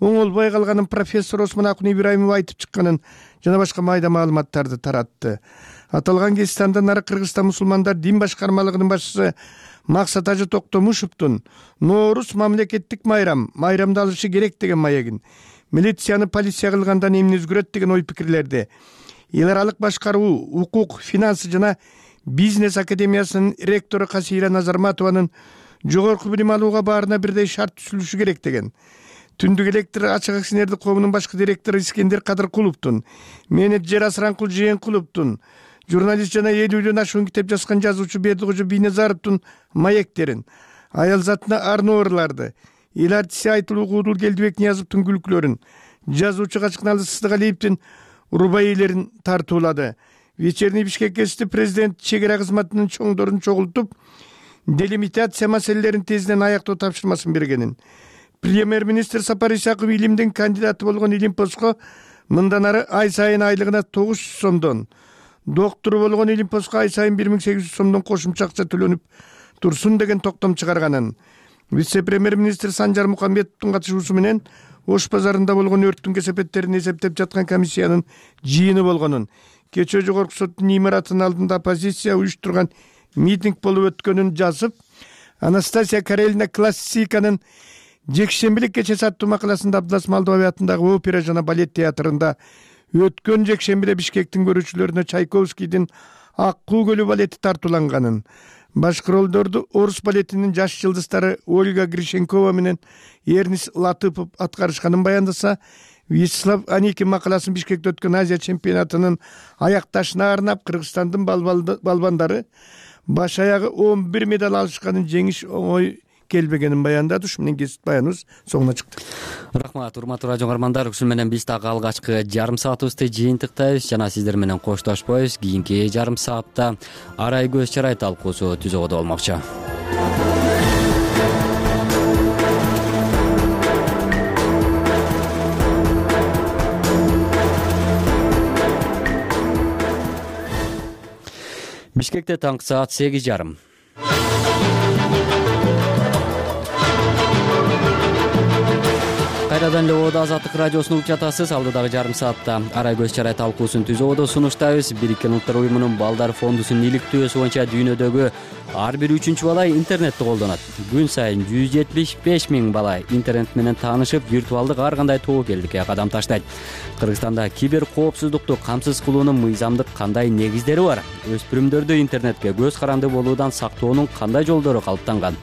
оңолбой калганын профессор Осмон Акун Ибраимов айтып чыкканын жана башка майда маалыматтарды таратты. Аталган гезит андан ары Кыргызстан мусулмандар дин башкармалыгынын башчысы Максат Ажы Токтомушевдун Нооруз мамлекеттик майрам, майрамды алышы керек деген маегин, милицияны полиция кылгандан эмне өзгөрөт деген ой пикирлерди эл аралык башкаруу, укук, финансы жана бизнес академиясынын ректору Касира Назарматованын жогорку билим алууга баарына бирдей шарт түзүлүшү керек деген. Түндүк электр ачык акционердик коомунун башкы директору Искендер Кадыркуловдун, менеджер Асранкул Жээнкуловдун, журналист жана элүүдөн ашуун китеп жазган жазуучу Бердикожо Бийназаровдун маектерин, аял затына арноорларды, эл артиси Айтылуу Куудул Келдибек Ниязовдун күлкүлөрүн, жазуучу Качкыналы Сыздыгалиевдин рубаилерин тартуулады. Вечерний Бишкек гезити президент чек ара кызматынын чоңдорун чогултуп, делимитация маселелерин тезинен аяктоо тапшырмасын бергенин, премьер-министр Сапар Исаков илимдин кандидаты болгон Илимпоско мындан ары ай сайын айлыгына тогуз жүз сомдон, доктуру болгон Илимпоско ай сайын бир миң сегиз жүз сомдон кошумча акча төлөнүп турсун деген токтом чыгарганын, вице-премьер-министр Санжар Мукамбетовдун катышуусу менен Ош базарында болгон өрттүн кесепеттерин эсептеп жаткан комиссиянын жыйыны болгонун, кечээ жогорку соттун имаратынын алдында оппозиция уюштурган митинг болуп өткөнүн жазып, Анастасия Карелина классиканын жекшембилик кечеси аттуу макаласында Абдылас Малдыбай атындагы опера жана балет театрында өткөн жекшембиде Бишкектин көрүүчүлөрүнө Чайковскийдин Ак куу көлү балети тартууланганын, башкы ролдорду орус балетинин жаш жылдыздары Ольга Гришенкова менен Эрнис Латыпов аткарышканын баяндаса, Вячеслав Аникин макаласын Бишкекте өткөн Азия чемпионатынын аякташына арнап Кыргызстандын балбандары баш аягы он бир медаль алышканын жеңиш оңой келбегенин баяндады. Ушу менен кесип баяныбыз соңуна чыкты. Рахмат, урматтуу радио угармандар. Ушун менен биз дагы алгачкы жарым саатыбызды жыйынтыктайбыз жана сиздер менен коштошпойбуз. Кийинки жарым саатта арай көз чарай талкуусу түзөгөдө болмокчу. Бишкекте таңкы саат сегиз жарым. Кайрадан эле Оодо Азаттык радиосун угуп жатасыз. Алдыдагы жарым саатта арай көз чарай талкуусун түзүүгө сунуштайбыз. Бириккен Улуттар уюмунун балдар фондусунун иликтөөсү боюнча дүйнөдөгү ар бир үчүнчү бала интернетти колдонот. Күн сайын жүз жетимиш беш миң бала интернет менен таанышып, виртуалдык ар кандай тобокелдикке кадам таштайт. Кыргызстанда кибер коопсуздукту камсыз кылуунун мыйзамдык кандай негиздери бар? Өспүрүмдөрдү интернетке көз каранды болуудан сактоонун кандай жолдору калыптанган?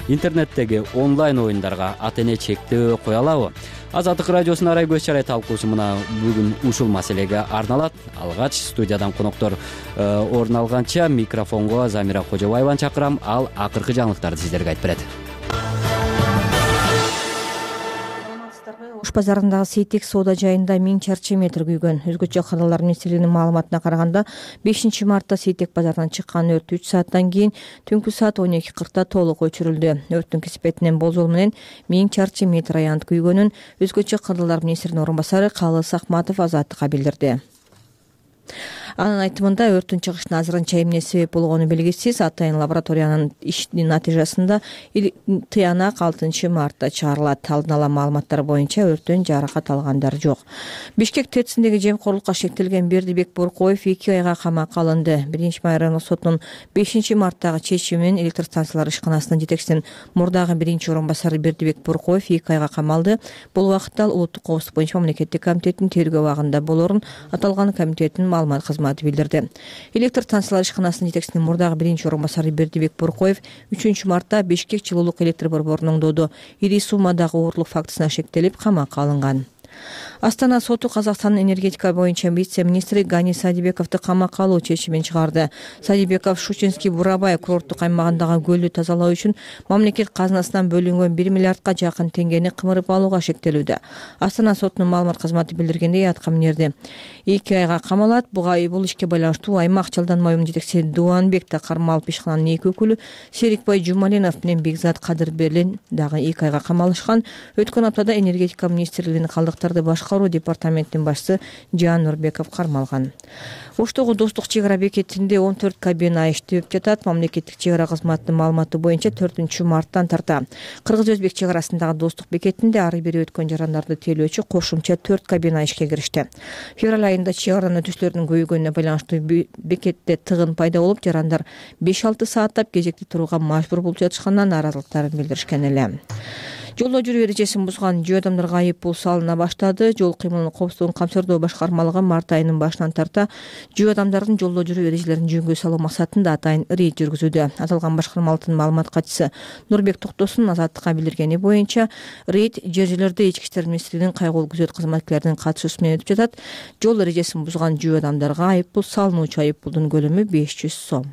Интернеттеги онлайн оюндарга ата эне чектөө кое алабы? Азаттык радиосунун арай көз чарай талкуусу мына бүгүн ушул маселеге арналат. Алгач студиядан коноктор орун алганча микрофонго Замира Кожобаеваны чакырам. Ал акыркы жаңылыктарды сиздерге айтып берет. Ош базарындагы Сейтек соода жайында миң чарчы метр күйгөн. Өзгөчө кадрлар министрлигинин маалыматына караганда бешинчи мартта Сейтек базарынан чыккан өрт үч сааттан кийин түнкү саат он эки кыркта толук өчүрүлдү. Өрттүн кесипетинен болжол менен миң чарчы метр аянт күйгөнүн өзгөчө кадрлар министринин орун басары Калыс Акматов Азаттыкка билдирди. Анын айтымында өрттүн чыгышына азырынча эмне себеп болгону белгисиз. Атайын лабораториянын иштин натыйжасында тыянак алтынчы мартта чыгарылат. Алдын ала маалыматтар боюнча өрттөн жаракат алгандар жок. Бишкек ТЭЦиндеги жемкорлукка шектелген Бердибек Боркоев эки айга камакка алынды. биринчи май райондук сотунун бешинчи марттагы чечими менен электр станциялар ишканасынын жетекчисинин мурдагы биринчи орун басары Бердибек Боркоев эки айга камалды. Бул убакытта ал улуттук коопсуздук боюнча мамлекеттик комитеттин тергөө абагында болорун аталган комитеттин маалымат кызматы билдирди. Электр станциялар ишканасынын жетекчисинин мурдагы биринчи орун басары Бердибек Боркоев үчүнчү мартта Бишкек жылуулук электр борборунун оңдоодо ири суммадагы оорлук фактысына шектелип камакка алынган. Астана соту Казакстандын энергетика боюнча вице-министри Гани Садибековду камакка алуу чечимин чыгарды. Садибеков Шучинский Бурабай курорттук аймагындагы көлдү тазалоо үчүн мамлекет казынасынан бөлүнгөн бир миллиардка жакын теңгени кымырып алууга шектелүүдө. Астана сотунун маалымат кызматы билдиргендей, аткаминерди эки айга камалат. Буга бул ишке байланыштуу аймак Жалданма уюмунун жетекчиси Дуанбек Кармалов ишкананын эки өкүлү Серикбай Жумалинов менен Бекзат Кадырберлин дагы эки айга камалышкан. Өткөн аптада энергетика министрлигинин калдыктарды башкаруу департаментинин башчысы Жан Нурбеков кармалган. Оштогу Достук чек ара бекетинде он төрт кабина иштеп жатат. Мамлекеттик чек ара кызматынын маалыматы боюнча төртүнчү марттан тарта Кыргыз-Өзбек чек арасындагы Достук бекетинде ары бери өткөн жарандарды тейлөөчү кошумча төрт кабина ишке киришти. Февраль айында чек аранын өтүүчүлөрдүн көбөйгөнүнө байланыштуу бекетте тыгын пайда болуп, жарандар беш алты сааттап кезекте турууга мажбур болуп жатышканынан нааразылыктарын билдиришкен эле. Жолдо жүрүү эрежесин бузган жөө адамдарга айып пул салына баштады. Жол кыймылынын коопсуздугун камсырдоо башкармалыгы март айынын башынан тарта жөө адамдардын жолдо жүрүү эрежелерин жөнгө салуу максатында атайын рейд жүргүзүүдө. Аталган башкармалыктын маалымат катчысы Нурбек Токтосун Азаттыкка билдиргени боюнча, рейд жер жерлерде ички иштер министрлигинин кайгылуу күзөт кызматкерлеринин катышуусу менен өтүп жатат. Жол эрежесин бузган жөө адамдарга айып пул салынуучу айып пулдун көлөмү беш жүз сом.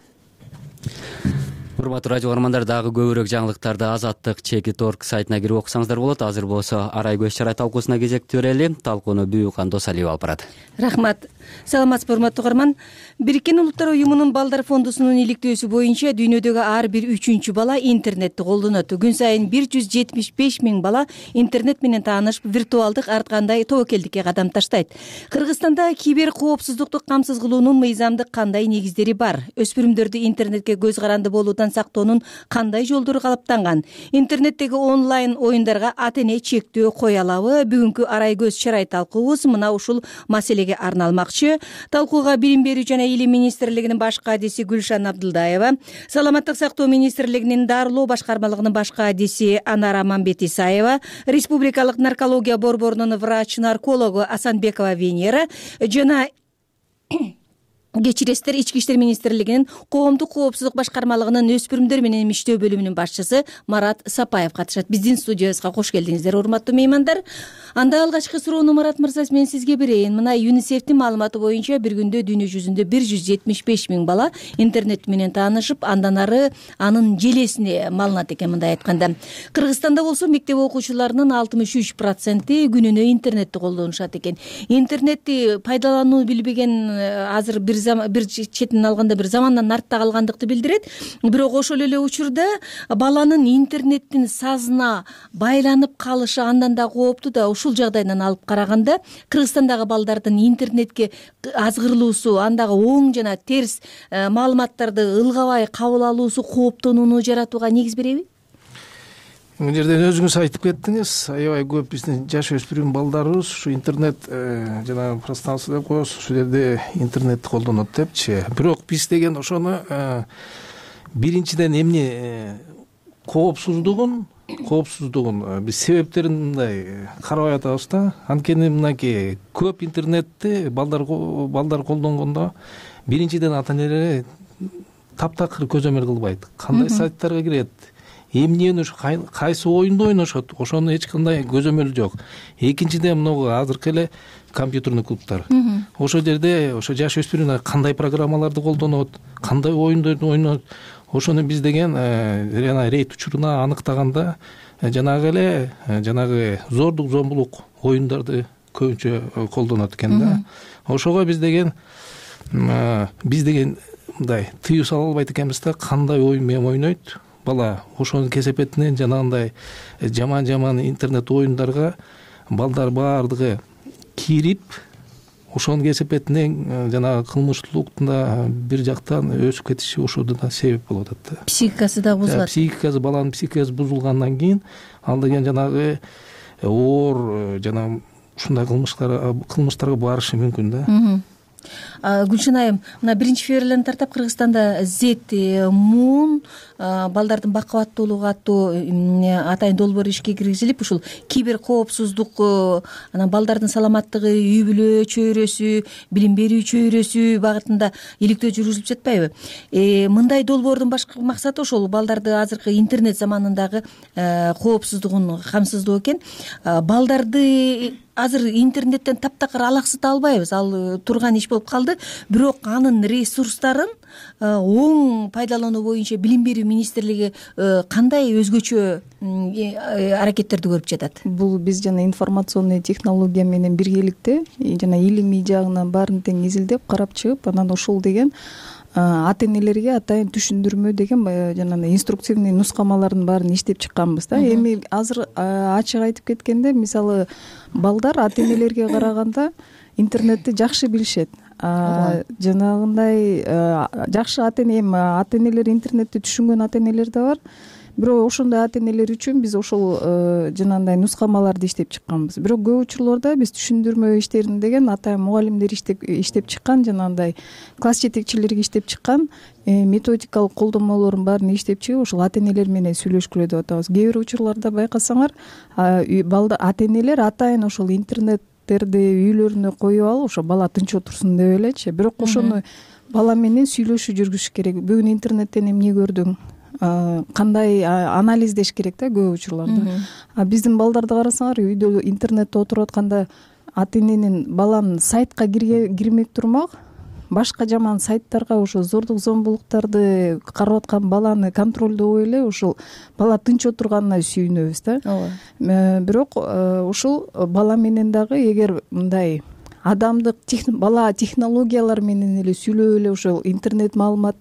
Урматтуу радио угармандар, дагы көбүрөөк жаңылыктарды Азаттык чеки точка орг сайтына кирип окусаңыздар болот. Азыр болсо арай көз чарай талкуусуна кезекти берели. Талкууну Бүйүкан Досалиева алып барат. Рахмат. Саламатсызбы, урматтуу угарман. Бириккен Улуттар уюмунун балдар фондусунун иликтөөсү боюнча дүйнөдөгү ар бир үчүнчү бала интернетти колдонот. Күн сайын бир жүз жетимиш беш миң бала интернет менен таанышып, виртуалдык ар кандай тобокелдикке кадам таштайт. Кыргызстанда кибер коопсуздукту камсыз кылуунун мыйзамдык кандай негиздери бар? Өспүрүмдөрдү интернетке көз каранды болуудан сактоонун кандай жолдору калыптанган? Интернеттеги онлайн оюндарга ата эне чектөө кое алабы? Бүгүнкү арай көз чарай талкуубуз мына ушул маселеге арналмакчы. Талкууга билим берүү жана илим министрлигинин баш кадиси Гүлшан Абдылдаева, саламаттык сактоо министрлигинин дарылоо башкармалыгынын баш кадиси Анара Мамбет Исаева, республикалык наркология борборунун врач-наркологу Асанбекова Венера жана кечиресиздер, ички иштер министрлигинин коомдук коопсуздук башкармалыгынын өспүрүмдөр менен иштөө бөлүмүнүн башчысы Марат Сапаев катышат. Биздин студиябызга кош келдиңиздер, урматтуу меймандар. Анда алгачкы суроону Марат мырза мен сизге берейин. Мына ЮНИСЕФтин маалыматы боюнча бир күндө дүйнө жүзүндө бир жүз жетимиш беш миң бала интернет менен таанышып, андан ары анын желесине малынат экен. Мындай айтканда, Кыргызстанда болсо мектеп окуучуларынын алтымыш үч проценти күнүнө интернетти колдонушат экен. Интернетти пайдаланууну билбеген азыр бир бир четинен алганда бир замандан артта калгандыкты билдирет. Бирок ошол эле учурда баланын интернеттин сазына байланып калышы андан да кооптуу да. Ушул жагдайдан алып караганда Кыргызстандагы балдардын интернетке азгырылуусу, андагы оң жана терс маалыматтарды ылгабай кабыл алуусу кооптонууну жаратууга негиз береби? Бул жерден өзүңүз айтып кеттиңиз, аябай көп биздин жаш өспүрүм балдарыбыз ушу интернет жана пространство деп коебуз, ушул жерде интернетти колдонот депчи. Бирок биз деген ошону биринчиден эмне коопсуздугун коопсуздугун биз себептерин мындай карабай атабыз да. Анткени мынакей көп интернетти балдар балдар колдонгондо биринчиден ата энелер таптакыр көзөмөл кылбайт. Кандай сайттарга кирет, эмнени, кайсы оюнду ойношот, ошону эч кандай көзөмөл жок. Экинчиден могу азыркы эле компьютерный клубтар. Ошол жерде ошо жаш өспүрүмдөр кандай программаларды колдонот, кандай оюндарды ойнойт, ошону биз деген жана рейд учуруна аныктаганда жанагы эле жанагы зордук зомбулук оюндарды көбүнчө колдонот экен да. Ошого биз деген биз деген мындай тыюу сала албайт экенбиз да, кандай оюн менен ойнойт бала. Ошонун кесепетинен жанагындай жаман жаман интернет оюндарга балдар баардыгы кирип, ошонун кесепетинен жанагы кылмыштуулуктун бир жактан өсүп кетиши ошодо да себеп болуп атат да. Психикасы да бузулат. Психикасы, баланын психикасы бузулгандан кийин ал деген жанагы оор жана ушундай кылмыштар кылмыштарга барышы мүмкүн да. Гүлшин айым, мына биринчи февралдан тартап Кыргызстанда Зет Мун балдардын бакубаттуулугу аттуу атайын долбоор ишке киргизилип, ушул кибер коопсуздук, анан балдардын саламаттыгы, үй бүлө чөйрөсү, билим берүү чөйрөсү багытында иликтөө жүргүзүлүп жатпайбы? Мындай долбоордун башкы максаты ошол балдарды азыркы интернет заманындагы коопсуздугун камсыздоо экен. Балдарды азыр интернеттен таптакыр алаксыта албайбыз, ал турган иш болуп калды. Бирок анын ресурстарын оң пайдалануу боюнча билим берүү министрлиги кандай өзгөчө аракеттерди көрүп жатат? Бул биз жана информационный технология менен биргеликте жана илимий жагынан баарын тең изилдеп карап чыгып, анан ошол деген ата энелерге атайын түшүндүрмө деген жанагы инструктивный нускамалардын баарын иштеп чыкканбыз да. Эми азыр ачык айтып кеткенде, мисалы балдар ата энелерге караганда интернетти жакшы билишет. Жанагындай жакшы ата эне, ата энелер интернетти түшүнгөн ата энелер да бар. Бирок ошондой ата энелер үчүн биз ошол жанагындай нускамаларды иштеп чыкканбыз. Бирок көп учурларда биз түшүндүрмө иштерин деген атайын мугалимдер иштеп иштеп чыккан, жанагындай класс жетекчилерге иштеп чыккан методикалык колдонмолордун баарын иштеп чыгып, ошол ата энелер менен сүйлөшкүлө деп атабыз. Кээ бир учурларда байкасаңар, балда ата энелер атайын ошол интернет үйлөрүнө коюп алып, ошо бала тынч отурсун деп элечи. Бирок ошону бала менен сүйлөшүү жүргүзүш керек. Бүгүн интернеттен эмне көрдүң? Кандай анализдеш керек да көп учурларда. А биздин балдарды карасаңар, үйдө интернетте отуруп атканда ата эненин баланын сайтка кирмек турмак, башка жаман сайттарга, ошо зордук зомбулуктарды карап аткан баланы контролдобой эле ошол бала тынч отурганына сүйүнөбүз да. Ооба. Бирок ушул бала менен дагы эгер мындай адамдык бала технологиялар менен эле сүйлөп эле ошол интернет маалымат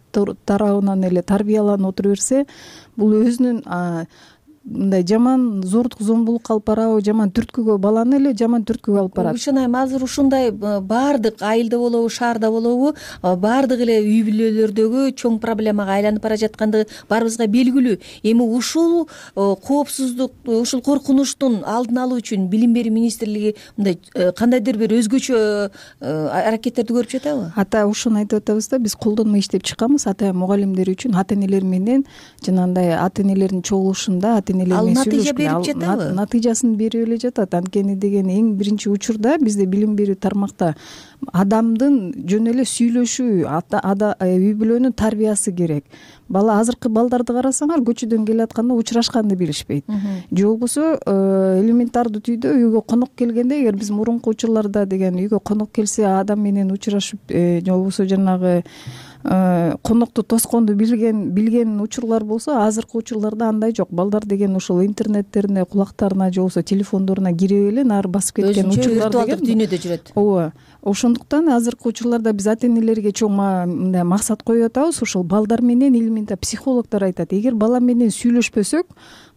тарабынан эле тарбияланып отура берсе, бул өзүнүн мындай жаман зордук зомбулукка алып барабы, жаман түрткүгө, баланы эле жаман түрткүгө алып барат. Гүлшин айым, азыр ушундай баардык айылда болобу, шаарда болобу, баардык эле үй бүлөлөрдөгү чоң проблемага айланып бара жаткандыгы баарыбызга белгилүү. Эми ушул коопсуздук, ушул коркунучтун алдын алуу үчүн билим берүү министрлиги мындай кандайдыр бир өзгөчө аракеттерди көрүп жатабы? Ата ушуну айтып атабыз да, биз колдонмо иштеп чыкканбыз ата мугалимдер үчүн, ата энелер менен жанагындай ата энелердин чогулушунда ата энелер ал менен натыйжа сүйлөшкөн берип жатабы? Натыйжасын берип эле жатат. Анткени деген эң биринчи учурда бизде билим берүү тармакта адамдын жөн эле сүйлөшүү, үй бүлөнүн тарбиясы керек. Бала азыркы балдарды карасаңар, көчөдөн келатканда учурашканды билишпейт. Же болбосо элементардуу түрдө үйгө конок келгенде, эгер биз мурунку учурларда деген үйгө конок келсе адам менен учурашып, же болбосо жанагы конокту тосконду билген билген учурлар болсо, азыркы учурларда андай жок. Балдар деген ушул интернеттерине, кулактарына же болбосо телефондоруна кирип эле нары басып кеткен учурлар деген дүйнөдө жүрөт. Ооба. Ошондуктан азыркы учурларда биз ата-энелерге чоң мындай максат коюп атабыз. Ушул балдар менен элемента психологдор айтат, эгер бала менен сүйлөшпөсөк,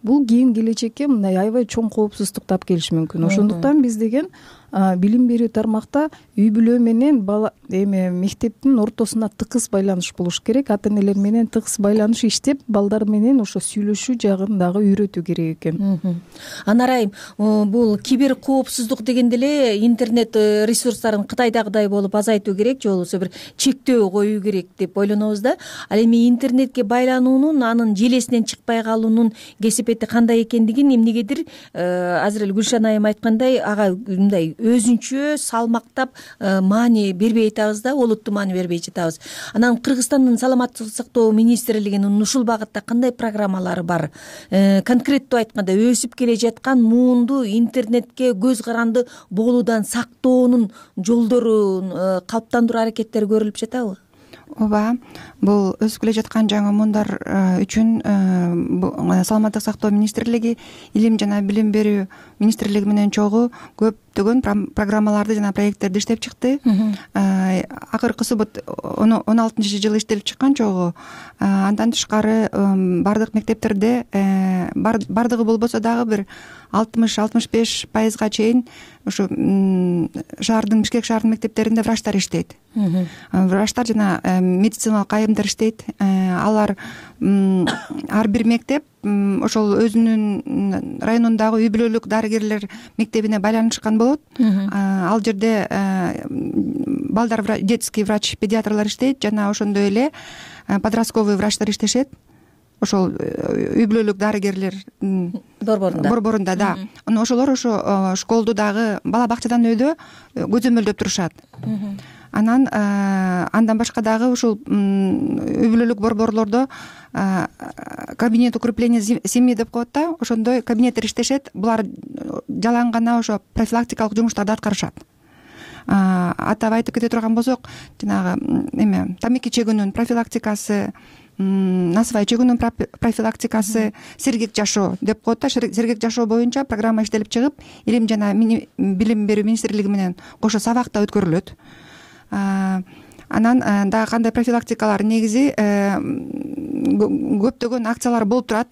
бул кийин келечекке мындай аябай чоң коопсуздукту алып келиши мүмкүн. Ошондуктан биз деген билим берүү тармакта үй бүлө менен бала эме мектептин ортосуна тыгыз байланыш болуш керек. Ата-энелер менен тыгыз байланыш иштеп, балдар менен ошо сүйлөшүү жагын дагы үйрөтүү керек экен. Анар айым, бул кибер коопсуздук дегенде эле интернет ресурстарын Кытайдагыдай болуп азайтуу керек, же болбосо бир чектөө коюу керек деп ойлонобуз да. Ал эми интернетке байлануунун, анын желесинен чыкпай калуунун кесепети кандай экендигин эмнегедир азыр эле Гүлшан айым айткандай, ага мындай өзүнчө салмактап маани бербей атабыз да, олуттуу маани бербей жатабыз. Анан Кыргызстандын саламаттык сактоо министрлигинин ушул багытта кандай программалары бар? Конкреттүү айтканда, өсүп келе жаткан муунду интернетке көз каранды болуудан сактоонун жолдорун калыптандыруу аракеттери көрүлүп жатабы? Ооба, бул өсүп келе жаткан жаңы муундар үчүн саламаттык сактоо министрлиги, илим жана билим берүү министрлиги менен чогуу көптөгөн программаларды жана проекттерди иштеп чыкты. Акыркысы он алтынчы жылы иштелип чыккан чогуу. Андан тышкары бардык мектептерде, бардыгы болбосо дагы бир алтымыш алтымыш беш пайызга чейин ушу шаардын, Бишкек шаарынын мектептеринде врачтар иштейт. Врачтар жана медициналык айымдар иштейт. Алар ар бир мектеп ошол өзүнүн районундагы үй бүлөлүк дарыгерлер мектебине байланышкан болот. Ал жерде балдар, детский врач, педиатрлар иштейт жана ошондой эле подростковый врачтар иштешет. Ошол үй бүлөлүк дарыгерлер борборунда. Борборунда, да. Анан ошолор ошо школду дагы бала бакчадан өйдө көзөмөлдөп турушат. Анан андан башка дагы ушул үй бүлөлүк борборлордо кабинет укрепления семьи деп коет да, ошондой кабинеттер иштешет. Булар жалаң гана ошо профилактикалык жумуштарды аткарышат. Атап айтып кете турган болсок, жанагы эме тамеки чегүүнүн профилактикасы, насыбай чегүүнүн профилактикасы, сергек жашоо деп коет да. Сергек жашоо боюнча программа иштелип чыгып, илим жана билим берүү министрлиги менен кошо сабакта өткөрүлөт. Анан дагы кандай профилактикалар, негизи көптөгөн акциялар болуп турат.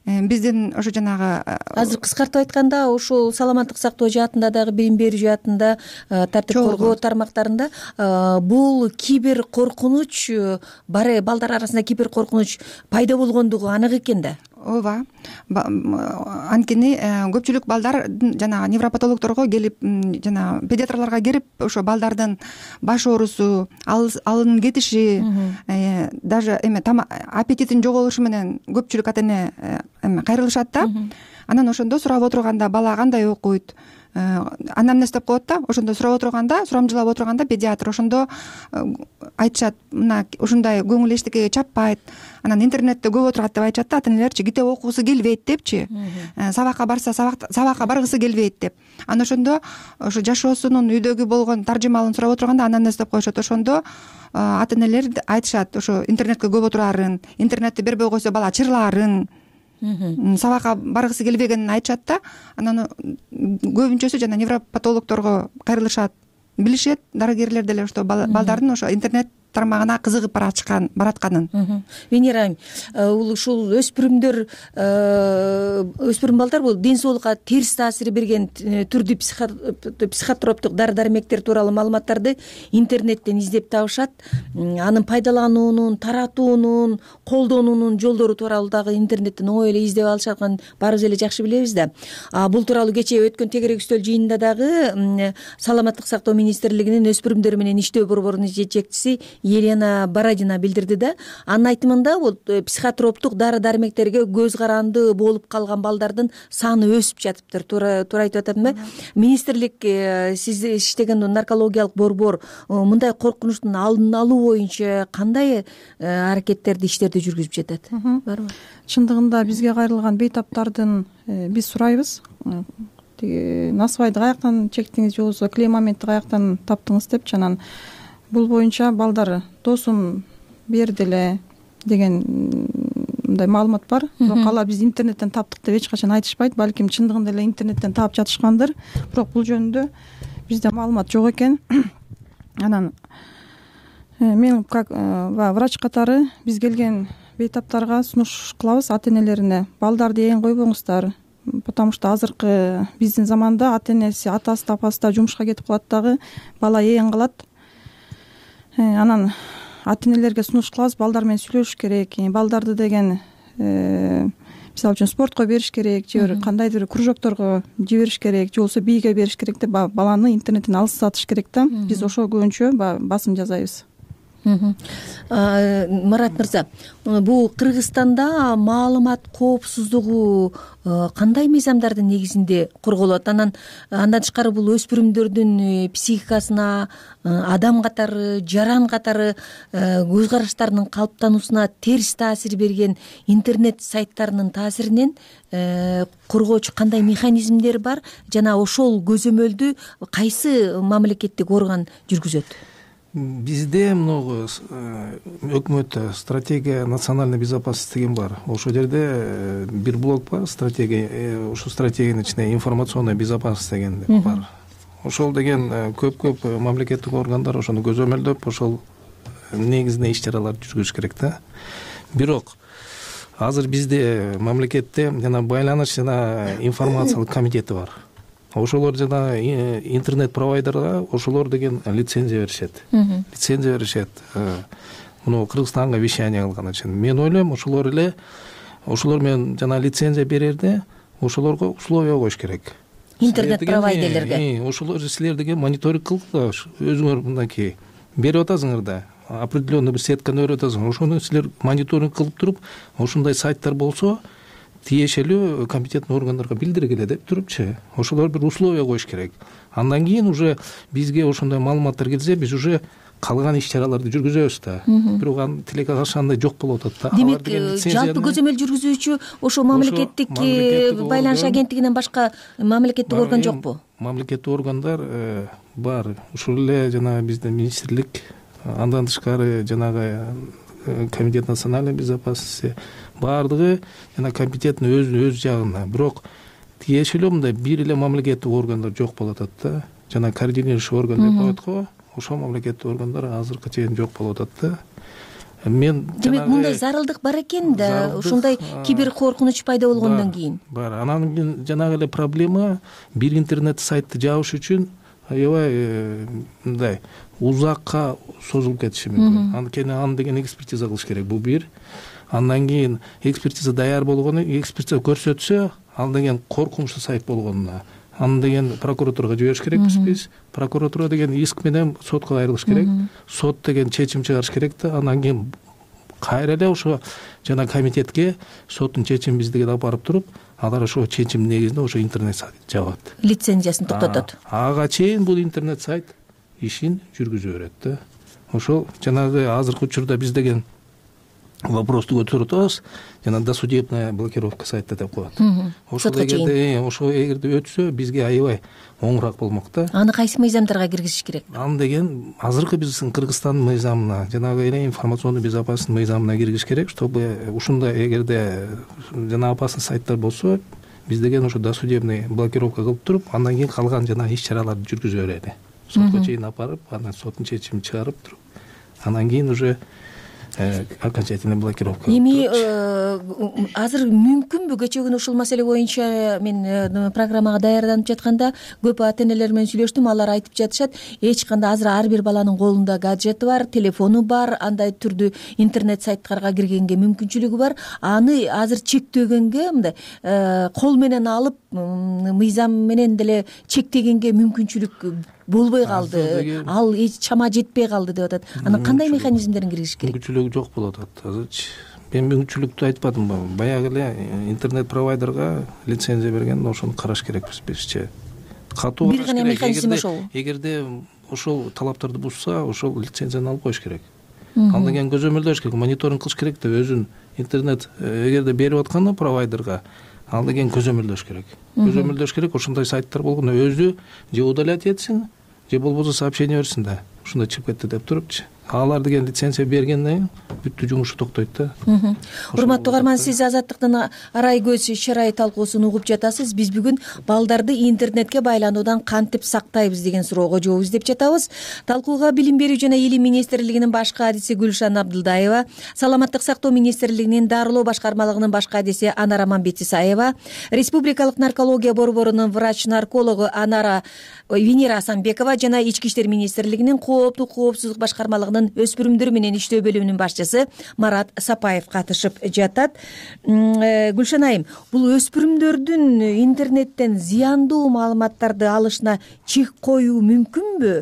Биздин ошо жанагы азыр кыскартып айтканда, ушул саламаттык сактоо жаатында дагы, билим берүү жаатында, тартип коргоо тармактарында бул кибер коркунуч бар, балдар арасында кибер коркунуч пайда болгондугу анык экен да. Ооба. Анткени көпчүлүк балдар жанагы невропатологдорго келип, жана педиатрларга келип, ошо балдардын баш оорусу, алынын кетиши, даже эме аппетитин жоголушу менен көпчүлүк ата-эне эме кайрылышат да. Анан ошондо сурап отурганда, бала кандай окуйт, анамнез деп коет да. Ошондо сурап отурганда, сурамжылап отурганда педиатр ошондо айтышат, мына ушундай көңүл эчтекеге чаппайт, анан интернетте көп отурат деп айтышат да ата-энелерчи, китеп окугусу келбейт депчи, сабакка барса сабакка баргысы келбейт деп. Анан ошондо ошо жашоосунун үйдөгү болгон таржымалын сурап отурганда анамнез деп коюшат. Ошондо ата-энелер айтышат, ошо интернетке көп отурарын, интернетти бербей койсо бала чырлаарын, сабакка баргысы келбегенин айтышат да. Анан көбүнчөсү жана невропатологдорго кайрылышат, билишет, дарыгерлер деле ошо балдардын ошо интернет тармагына кызыгып бараткан баратканын. Венера айым, ушул өспүрүмдөр, өспүрүм балдар бул ден соолукка терс таасир берген түрдүү психотроптук дары-дармектер тууралуу маалыматтарды интернеттен издеп табышат. Анын пайдалануунун, таратуунун, колдонуунун жолдору тууралуу дагы интернеттен оңой эле издеп алышаткан баарыбыз эле жакшы билебиз да. Бул тууралуу кечээ өткөн тегерек үстөл жыйынында дагы саламаттык сактоо министрлигинин өспүрүмдөр менен иштөө борборунун жетекчиси Елена Бородина билдирди да. Анын айтымында бул психотроптук дары дармектерге көз каранды болуп калган балдардын саны өсүп жатыптыр. Туура туура айтып атамынбы? Министрлик сиз иштеген наркологиялык борбор мындай коркунучтун алдын алуу боюнча кандай аракеттерди, иштерди жүргүзүп жатат? Барбы? Чындыгында бизге кайрылган бейтаптардын биз сурайбыз. Тиги насыбайды каяктан чектиңиз же болбосо клеймоментти каяктан таптыңыз депчи, анан бул боюнча балдар досум берди эле деген мындай маалымат бар. Бирок алар биз интернеттен таптык деп эч качан айтышпайт. Балким чындыгында эле интернеттен таап жатышкандыр. Бирок бул жөнүндө бизде маалымат жок экен. Анан мен как врач катары биз келген бейтаптарга сунуш кылабыз ата-энелерине. Балдарды ээн койбоңуздар, потому что азыркы биздин заманда ата-энеси, атасы да апасы да жумушка кетип калат дагы, бала ээн калат. Анан ата-энелерге сунуш кылабыз, балдар менен сүйлөшүш керек. Балдарды деген мисалы үчүн спортко бериш керек, же кандайдыр кружокторго жибериш керек, же болбосо бийге бериш керек деп баланы интернеттен алыстатыш керек да. Биз ошо көбүнчө басым жасайбыз. Марат мырза, бул Кыргызстанда маалымат коопсуздугу кандай мыйзамдардын негизинде корголот? Анан андан тышкары бул өспүрүмдөрдүн психикасына, адам катары, жаран катары көз караштарынын калыптануусуна терс таасир берген интернет сайттарынын таасиринен коргоочу кандай механизмдер бар жана ошол көзөмөлдү кайсы мамлекеттик орган жүргүзөт? Бизде могу өкмөттө стратегия национальной безопасности деген бар. Ошол жерде бир блок бар, стратегия. Ошол стратегиянын ичинде информационная безопасность деген бар. Ошол деген көп-көп мамлекеттик органдар ошону көзөмөлдөп, ошол негизинде иш-чараларды жүргүзүш керек да. Бирок азыр бизде мамлекетте жана байланыш жана информациялык комитети бар. Ошолор жана интернет провайдерга ошолор деген лицензия беришет. Лицензия беришет. Муну Кыргызстанга вещание кылган үчүн. Мен ойлойм, ошолор эле ошолор менен жана лицензия берерде ошолорго условия коюш керек. Интернет провайдерлерге. Ошолор силер деген мониторинг кылгыла, өзүңөр мындайки берип атасыңар да. Определенный бир сетканы өрүп атасың. Ошону силер мониторинг кылып туруп, ошондой сайттар болсо тиешелүү компетентный органдарга билдиргиле деп турупчу. Ошолор бир условия коюш керек. Андан кийин уже бизге ошондой маалыматтар келсе, биз уже калган иш-чараларды жүргүзөбүз да. Бирок анын тилекке каршы андай жок болуп атат да. Демек, жалпы көзөмөл жүргүзүүчү ошо мамлекеттик байланыш агенттигинен башка мамлекеттик орган жокпу? Мамлекеттик органдар бар. Ушул эле жана биздин министрлик, андан тышкары жанагы комитет национальной безопасности баардыгы жана компетентный өз өз жагында. Бирок тиешелүү мындай бир эле мамлекеттик органдар жок болуп атат да. Жана координирующий орган деп коет го. Ошол мамлекеттик органдар азыркы чейин жок болуп атат да. Мен демек мындай зарылдык бар экен да, ушундай кибер коркунуч пайда болгондон кийин. Бар. Анан кийин жанагы эле проблема бир интернет сайтты жабыш үчүн аябай мындай узакка созулуп кетиши мүмкүн. Анткени аны деген экспертиза кылыш керек. Бул бир. Андан кийин экспертиза даяр болгону, экспертиза көрсөтсө, ал деген коркунучтуу сайт болгонуна, аны деген прокуратурага жибериш керекпиз биз. Прокуратура деген иск менен сотко кайрылыш керек. Сот деген чечим чыгарыш керек да. Андан кийин кайра эле ошо жана комитетке соттун чечимин биздиге алып туруп, алар ошо чечим негизинде ошо интернет сайт жабат. Лицензиясын токтотот. Ага чейин бул интернет сайт ишин жүргүзө берет да. Ошол жанагы азыркы учурда биз деген вопросту көтөрүп атабыз, жана досудебная блокировка сайта деп коет. Ошол эгерде ошо эгерде өтсө, бизге аябай оңураак болмок да. Аны кайсы мыйзамдарга киргизиш керек? Аны деген азыркы биздин Кыргызстандын мыйзамына, жанагы эле информационный безопасность мыйзамына киргизиш керек, чтобы ушундай эгерде жана опасный сайттар болсо, биз деген ошо досудебный блокировка кылып туруп, андан кийин калган жана иш-чараларды жүргүзө берели. Сотко чейин апарып, анан соттун чечимин чыгарып туруп, андан кийин уже окончательный блокировка. Эми азыр мүмкүнбү кечээ күнү ушул маселе боюнча мен программага даярданып жатканда көп ата-энелер менен сүйлөштүм, алар айтып жатышат, эч кандай азыр ар бир баланын колунда гаджети бар, телефону бар, андай түрдүү интернет сайттарга киргенге мүмкүнчүлүгү бар. Аны азыр чектөгөнгө мындай кол менен алып мыйзам менен деле чектегенге мүмкүнчүлүк болбой калды, ал чама жетпей калды деп атат. Анан кандай механизмдерин киргизиш керек? Мүмкүнчүлүгү жок болуп атат азырчы. Мен мүмкүнчүлүктү айтпадым. Баягы эле интернет провайдерга лицензия берген, ошону караш керекпиз бизче. Катуу бир гана механизм ошол. Эгерде ошол талаптарды бузса, ошол лицензияны алып коюш керек. Андан кийин көзөмөлдөш керек, мониторинг кылыш керек деп өзүн интернет эгерде берип атканда провайдерга андан кийин көзөмөлдөш керек. Көзөмөлдөш керек, ошондой сайттар болгондо өзү же удалять этсин, же болбосо сообщение берсин да. Ушундай чыгып кетти деп турупчу. Алар деген лицензия бергенден кийин бүттү, жумушу токтойт да. Урматтуу угарман, сиз Азаттыктын арай көз чырай талкуусун угуп жатасыз. Биз бүгүн балдарды интернетке байлануудан кантип сактайбыз деген суроого жооп издеп жатабыз. Талкууга Билим берүү жана Илим министрлигинин баш кадиси Гүлшан Абдылдаева, Саламаттык сактоо министрлигинин дарылоо башкармалыгынын баш кадиси Анара Мамбетисаева, Республикалык наркология борборунун врач-наркологу Анара Венера Асанбекова жана Ички иштер министрлигинин кооптук коопсуздук башкармалыгынын өспүрүмдөр менен иштөө бөлүмүнүн башчысы Марат Сапаев катышып жатат. Гүлшан айым, бул өспүрүмдөрдүн интернеттен зыяндуу маалыматтарды алышына чек коюу мүмкүнбү?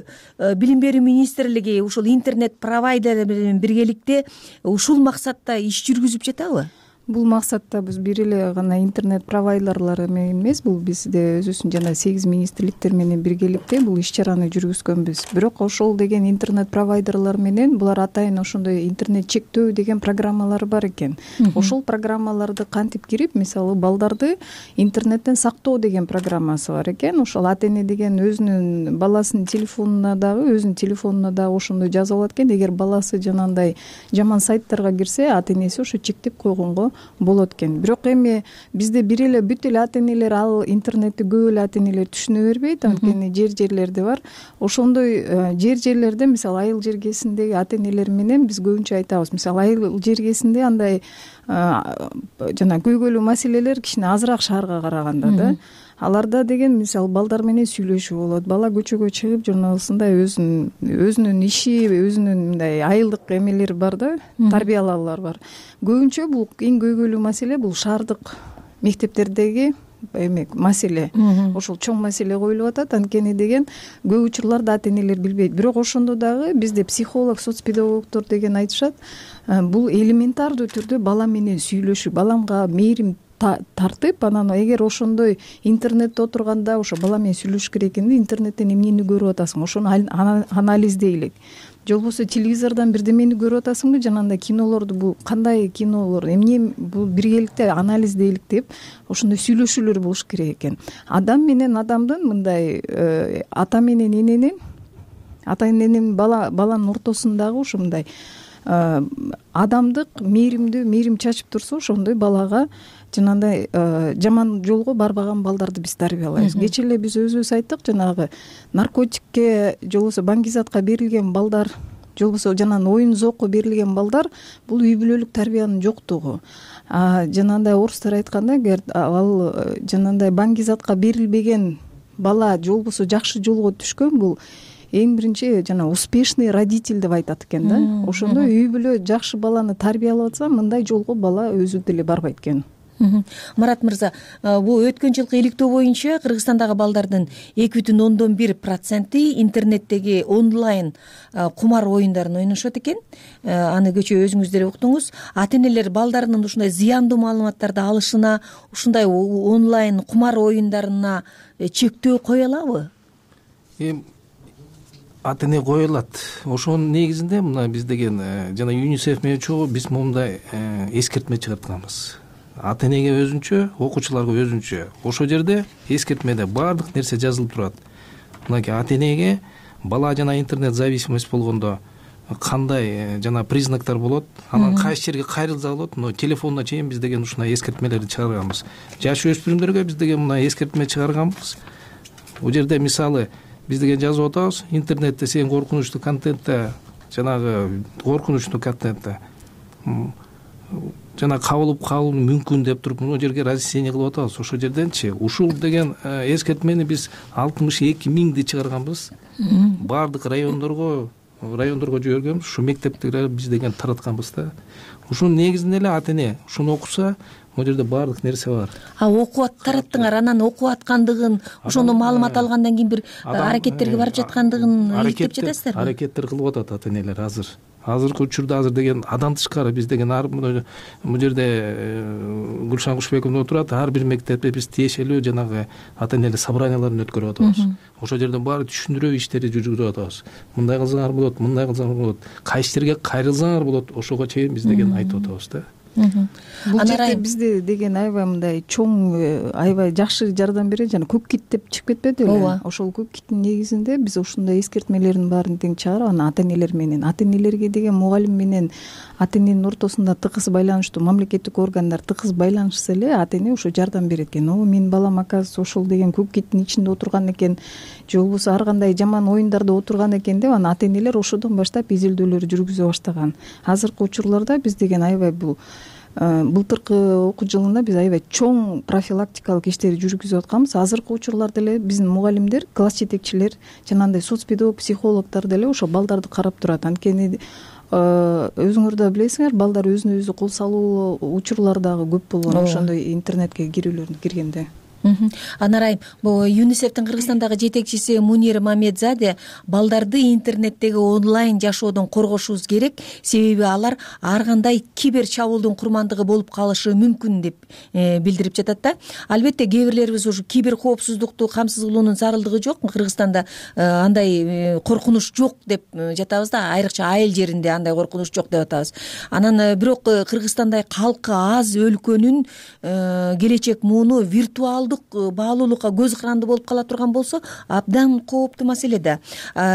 Билим берүү министрлиги ушул интернет провайдерлер менен биргеликте ушул максатта иш жүргүзүп жатабы? Бул максатта биз бир эле гана интернет провайдерлары менен эмес, бул бизде өзүбүздүн жана сегиз министрликтер менен биргеликте бул иш чараны жүргүзгөнбүз. Бирок ошол деген интернет провайдерлар менен булар атайын ошондой интернет чектөө деген программалары бар экен. Ошол программаларды кантип кирип, мисалы балдарды интернеттен сактоо деген программасы бар экен. Ошол ата эне деген өзүнүн баласынын телефонуна дагы, өзүнүн телефонуна дагы ошондой жазып алат экен. Эгер баласы жанагындай жаман сайттарга кирсе, ата энеси ошо чектеп койгонго болот экен. Бирок эми бизде бир эле бүт эле ата энелер ал интернетти көп эле ата энелер түшүнө бербейт, анткени жер жерлерде бар. Ошондой жер жерлерде, мисалы айыл жергесиндеги ата энелер менен биз көбүнчө айтабыз. Мисалы айыл жергесинде андай жана көйгөйлүү маселелер кичине азыраак шаарга караганда да. Аларда деген мисалы балдар менен сүйлөшүү болот. Бала көчөгө чыгып журналысындай өзүнүн өзүнүн иши, өзүнүн мындай айылдык эмелери бар да, тарбиялаалар бар. Көбүнчө бул эң көйгөйлүү маселе бул шаардык мектептердеги эме маселе. Ошол чоң маселе коюлуп атат. Анткени деген көп учурларда ата энелер билбейт. Бирок ошондо дагы бизде психолог, соцпедагогдор деген айтышат, бул элементардуу түрдө бала менен сүйлөшүү, баламга мээрим тартып, анан эгер ошондой интернетте отурганда ошо бала менен сүйлөшүш керек экенде, интернеттен эмнени көрүп атасың, ошону анализдейлик. Же болбосо телевизордон бирдемени көрүп атасыңбы, жанагындай кинолорду, бул кандай кинолор, эмне, бул биргеликте анализдейлик деп ошондой сүйлөшүүлөр болуш керек экен. Адам менен адамдын мындай ата менен эненин, ата эненин бала баланын ортосундагы ушундай адамдык мээримдүү мээрим чачып турса, ошондой балага жанагындай жаман жолго барбаган балдарды биз тарбиялайбыз. Кечээ эле биз өзүбүз айттык, жанагы наркотикке же болбосо баңгизатка берилген балдар, же болбосо жанагы оюн зоокко берилген балдар бул үй бүлөлүк тарбиянын жоктугу. Жанагындай орустар айтканда, эгер ал жанагындай баңгизатка берилбеген бала же болбосо жакшы жолго түшкөн, бул эң биринчи жана успешный родитель деп айтат экен да. Ошондой үй бүлө жакшы баланы тарбиялап атса, мындай жолго бала өзү деле барбайт экен. Марат мырза, бул өткөн жылкы иликтөө боюнча Кыргызстандагы балдардын эки бүтүн ондон бир проценти интернеттеги онлайн кумар оюндарын ойношот экен. Аны кечээ өзүңүз деле уктуңуз. Ата энелер балдарынын ушундай зыяндуу маалыматтарды алышына, ушундай онлайн кумар оюндарына чектөө кое алабы? Ата эне кое алат. Ошонун негизинде мына биз деген жана ЮНИСЕФ менен чогуу биз момундай эскертме чыгартканбыз. Ата энеге өзүнчө, окуучуларга өзүнчө. Ошол жерде эскертмеде баардык нерсе жазылып турат. Мынакей ата энеге бала жана интернет зависимость болгондо кандай жана признактар болот, анан кайсы жерге кайрылса болот, но телефонуна чейин биз деген ушундай эскертмелерди чыгарганбыз. Жаш өспүрүмдөргө биз деген мына эскертме чыгарганбыз. Бул жерде мисалы биз деген жазып атабыз, интернетте сен коркунучтуу контентте, жанагы коркунучтуу контентте жана кабылып калуу мүмкүн деп туруп мына жерге разъяснение кылып атабыз. Ошол жерденчи ушул деген эскертмени биз алтымыш эки миңди чыгарганбыз. Баардык райондорго райондорго жибергенбиз, ушу мектепти биз деген таратканбыз да. Ушунун негизинде эле ата эне ушуну окуса, могу жерде баардык нерсе бар. А окуп тараттыңар, анан окуп аткандыгын, ошондо маалымат алгандан кийин бир аракеттерге барып жаткандыгын иликтеп жатасыздарбы? Аракеттер кылып атат ата энелер азыр. Азыркы учурда азыр деген адан тышкары биз деген ар бул жерде Гүлшан Кушбекова отурат, ар бир мектепте биз тиешелүү жанагы ата энелер собранияларын өткөрүп атабыз. Ошол жерден баары түшүндүрүү иштери жүргүзүп атабыз. Мындай кылсаңар болот, мындай кылсаңар болот, кайсы жерге кайрылсаңар болот, ошого чейин биз деген айтып атабыз да. Бул жерде бизде деген аябай мындай чоң, аябай жакшы жардам берет, жана көк кит деп чыгып кетпеди беле? Ооба. Ошол көк киттин негизинде биз ушундай эскертмелердин баарын тең чыгарып, анан ата энелер менен, ата энелерге деген мугалим менен ата эненин ортосунда тыкыз байланыштуу, мамлекеттик органдар тыкыз байланышса эле ата эне ошо жардам берет экен. О, менин балам оказывается ошол деген көк киттин ичинде отурган экен, же болбосо ар кандай жаман оюндарда отурган экен деп, анан ата энелер ошодон баштап изилдөөлөр жүргүзө баштаган. Азыркы учурларда биз деген аябай бул былтыркы окуу жылында биз аябай чоң профилактикалык иштерди жүргүзүп атканбыз. Азыркы учурларда эле биздин мугалимдер, класс жетекчилер, жанагындай соцпедагог, психологдор деле ошо балдарды карап турат. Анткени өзүңөр да билесиңер, балдар өзүнө өзү кол салуу учурлары дагы көп болгон ошондой интернетке кирүүлөрүн киргенде. Анарайым, бул ЮНИСЕФтин Кыргызстандагы жетекчиси Мунир Мамедзаде балдарды интернеттеги онлайн жашоодон коргошубуз керек, себеби алар ар кандай кибер чабуулдун курмандыгы болуп калышы мүмкүн деп билдирип жатат да. Албетте кээ бирлерибиз ушу кибер коопсуздукту камсыз кылуунун зарылдыгы жок, Кыргызстанда андай коркунуч жок деп жатабыз да, айрыкча айыл жеринде андай коркунуч жок деп атабыз. Анан бирок Кыргызстандай калкы аз өлкөнүн келечек мууну виртуалдуу баалуулукка көз каранды болуп кала турган болсо абдан кооптуу маселе да.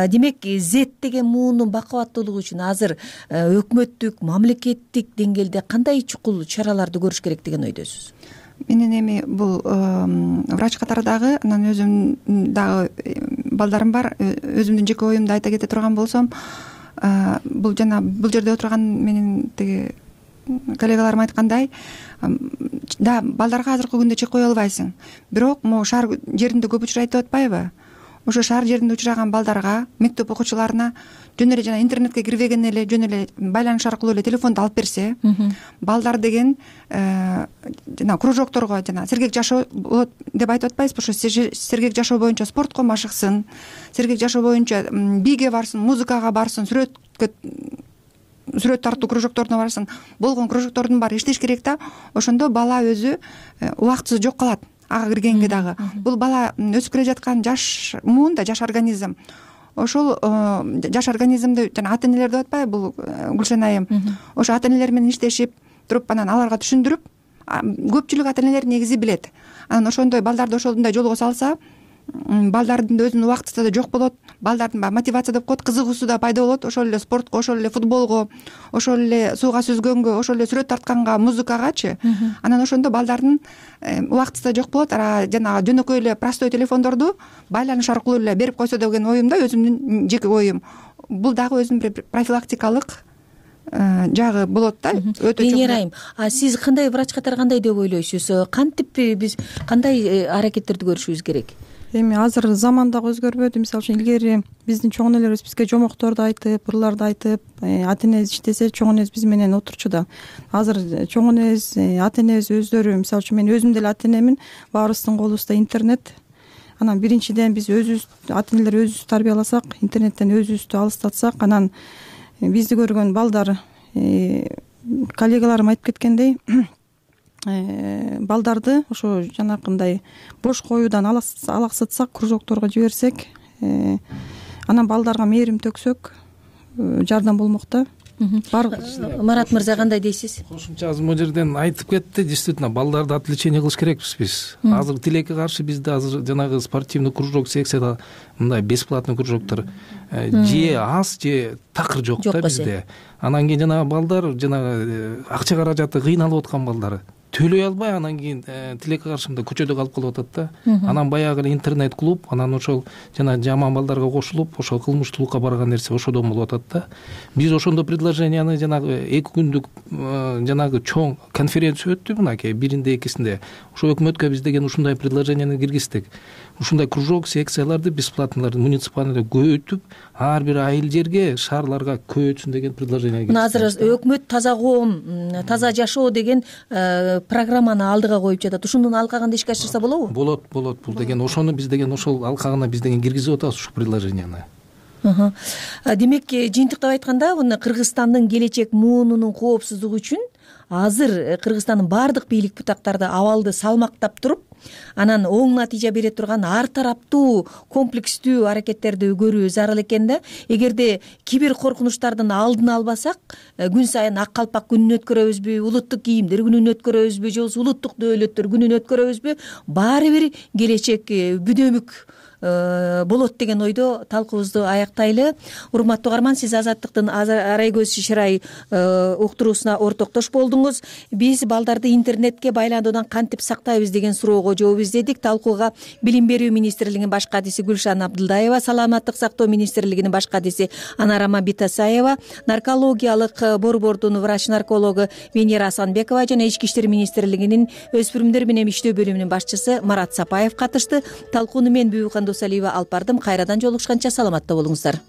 Демек, Z деген муунун бакубаттуулугу үчүн азыр өкмөттүк, мамлекеттик деңгээлде кандай чукул чараларды көрүш керек деген ойдосуз? Менин эми бул врач катары дагы, анан өзүм дагы балдарым бар, өзүмдүн жеке оюмду айта кете турган болсом, бул жана бул жерде отурган менин тиги коллегаларым айткандай, да, балдарга азыркы күндө чек кое албайсың. Бирок могу шаар жеринде көп учурайт деп атпайбы? Ошо шаар жеринде учураган балдарга, мектеп окуучуларына жөн эле жана интернетке кирбеген эле, жөн эле байланыш аркылуу эле телефонду алып берсе, балдар деген жана кружокторго, жана сергек жашоо болот деп айтып атпайбызбы? Ошо сергек жашоо боюнча спортко машыксын, сергек жашоо боюнча биге барсын, музыкага барсын, сүрөткө сүрөт тартуу кружокторуна барсын, болгон кружоктордун баары иштеш керек да. Ошондо бала өзү убактысы жок калат, ага киргенге дагы. Бул бала өсүп келе жаткан жаш муун да, жаш организм. Ошол жаш организмди жана ата энелер деп атпайбы бул Гүлшан айым? Ошо ата энелер менен иштешип туруп, анан аларга түшүндүрүп, көпчүлүк ата энелер негизи билет. Анан ошондой балдарды ошондой жолго салса, балдардын да өзүнүн убактысы да жок болот, балдардын баягы мотивация деп коет, кызыгуусу да пайда болот, ошол эле спортко, ошол эле футболго, ошол эле сууга сүзгөнгө, ошол эле сүрөт тартканга, музыкагачы. Анан ошондо балдардын убактысы да жок болот. Жанагы жөнөкөй эле простой телефондорду байланыш аркылуу эле берип койсо деген оюм да, өзүмдүн жеке оюм. Бул дагы өзүнүн бир профилактикалык жагы болот да. Өтө чоң. Меңерайым, а сиз кандай врач катары кандай деп ойлойсуз? Кантип биз кандай аракеттерди көрүшүбүз керек? Эми азыр заман дагы өзгөрбөдү. Мисалы үчүн илгери биздин чоң энелерибиз бизге жомокторду айтып, ырларды айтып, ата энебиз иштесе чоң энебиз биз менен отурчу да. Азыр чоң энебиз, ата энебиз өздөрү, мисалы үчүн мен өзүм деле ата энемин, баарыбыздын колубузда интернет. Анан биринчиден биз өзүбүз, ата энелер өзүбүз тарбияласак, интернеттен өзүбүздү алыстатсак, анан бизди көргөн балдар, коллегаларым айтып кеткендей, балдарды ошо жанакындай бош коюудан алаксытсак, кружокторго жиберсек, анан балдарга мээрим төксөк, жардам болмок да. Марат мырза, кандай дейсиз? Кошумча азыр могу жерден айтып кетти. Действительно, балдарды отвлечение кылыш керекпиз биз. Азыр тилекке каршы бизде азыр жанагы спортивный кружок, секцияда мындай бесплатный кружоктор же аз, же такыр жок да бизде. Анан кийин жанагы балдар, жанагы акча каражаты кыйналып аткан балдар төлөй албай, анан кийин тилекке каршы мындай көчөдө калып калып атат да. Анан баягы эле интернет клуб, анан ошол жана жаман балдарга кошулуп, ошол кылмыштуулукка барган нерсе ошодон болуп атат да. Биз ошондо предложенияны жанагы эки күндүк жанагы чоң конференция өттү мынакей биринде экисинде. Ошо өкмөткө биз деген ушундай предложенияны киргиздик. ушундай кружок секцияларды бесплатно муниципальный көбөйтүп ар бир айыл жерге шаарларга көбөйтсүн деген предложение. Мына азыр өкмөт таза коом, таза жашоо деген программаны алдыга коюп жатат. Ушунун алкагында ишке ашырса болобу? Болот, болот. Бул деген ошону биз деген ошол алкагына биз деген киргизип атабыз ушул предложенияны. Демек, жыйынтыктап айтканда, мына Кыргызстандын келечек муунунун коопсуздугу үчүн азыр Кыргызстандын баардык бийлик бутактары абалды салмактап туруп, анан оң натыйжа бере турган ар тараптуу комплекстүү аракеттерди көрүү зарыл экен да. Эгерде кибер коркунучтардын алдын албасак, күн сайын ак калпак күнүн өткөрөбүзбү, улуттук кийимдер күнүн өткөрөбүзбү, же улуттук дөөлөттөр күнүн өткөрөбүзбү, баары бир келечек бүдөмүк болот деген ойдо талкуубузду аяктайлы. Урматтуу угарман, сиз Азаттыктын арай көз шырай уктуруусуна ортоктош болдуңуз. Биз балдарды интернетке байлануудан кантип сактайбыз деген суроого жооп издедик. Талкууга Билим берүү министрлигинин баш кадиси Гүлшан Абдылдаева, Саламаттык сактоо министрлигинин баш кадиси Анарама Битасаева, наркологиялык борбордун врач-наркологу Венера Асанбекова жана Ички иштер министрлигинин өспүрүмдөр менен иштөө бөлүмүнүн башчысы Марат Сапаев катышты. Талкууну мен Бүбүкан Досалиева алып бардым. Кайрадан жолугушканча саламатта болуңуздар.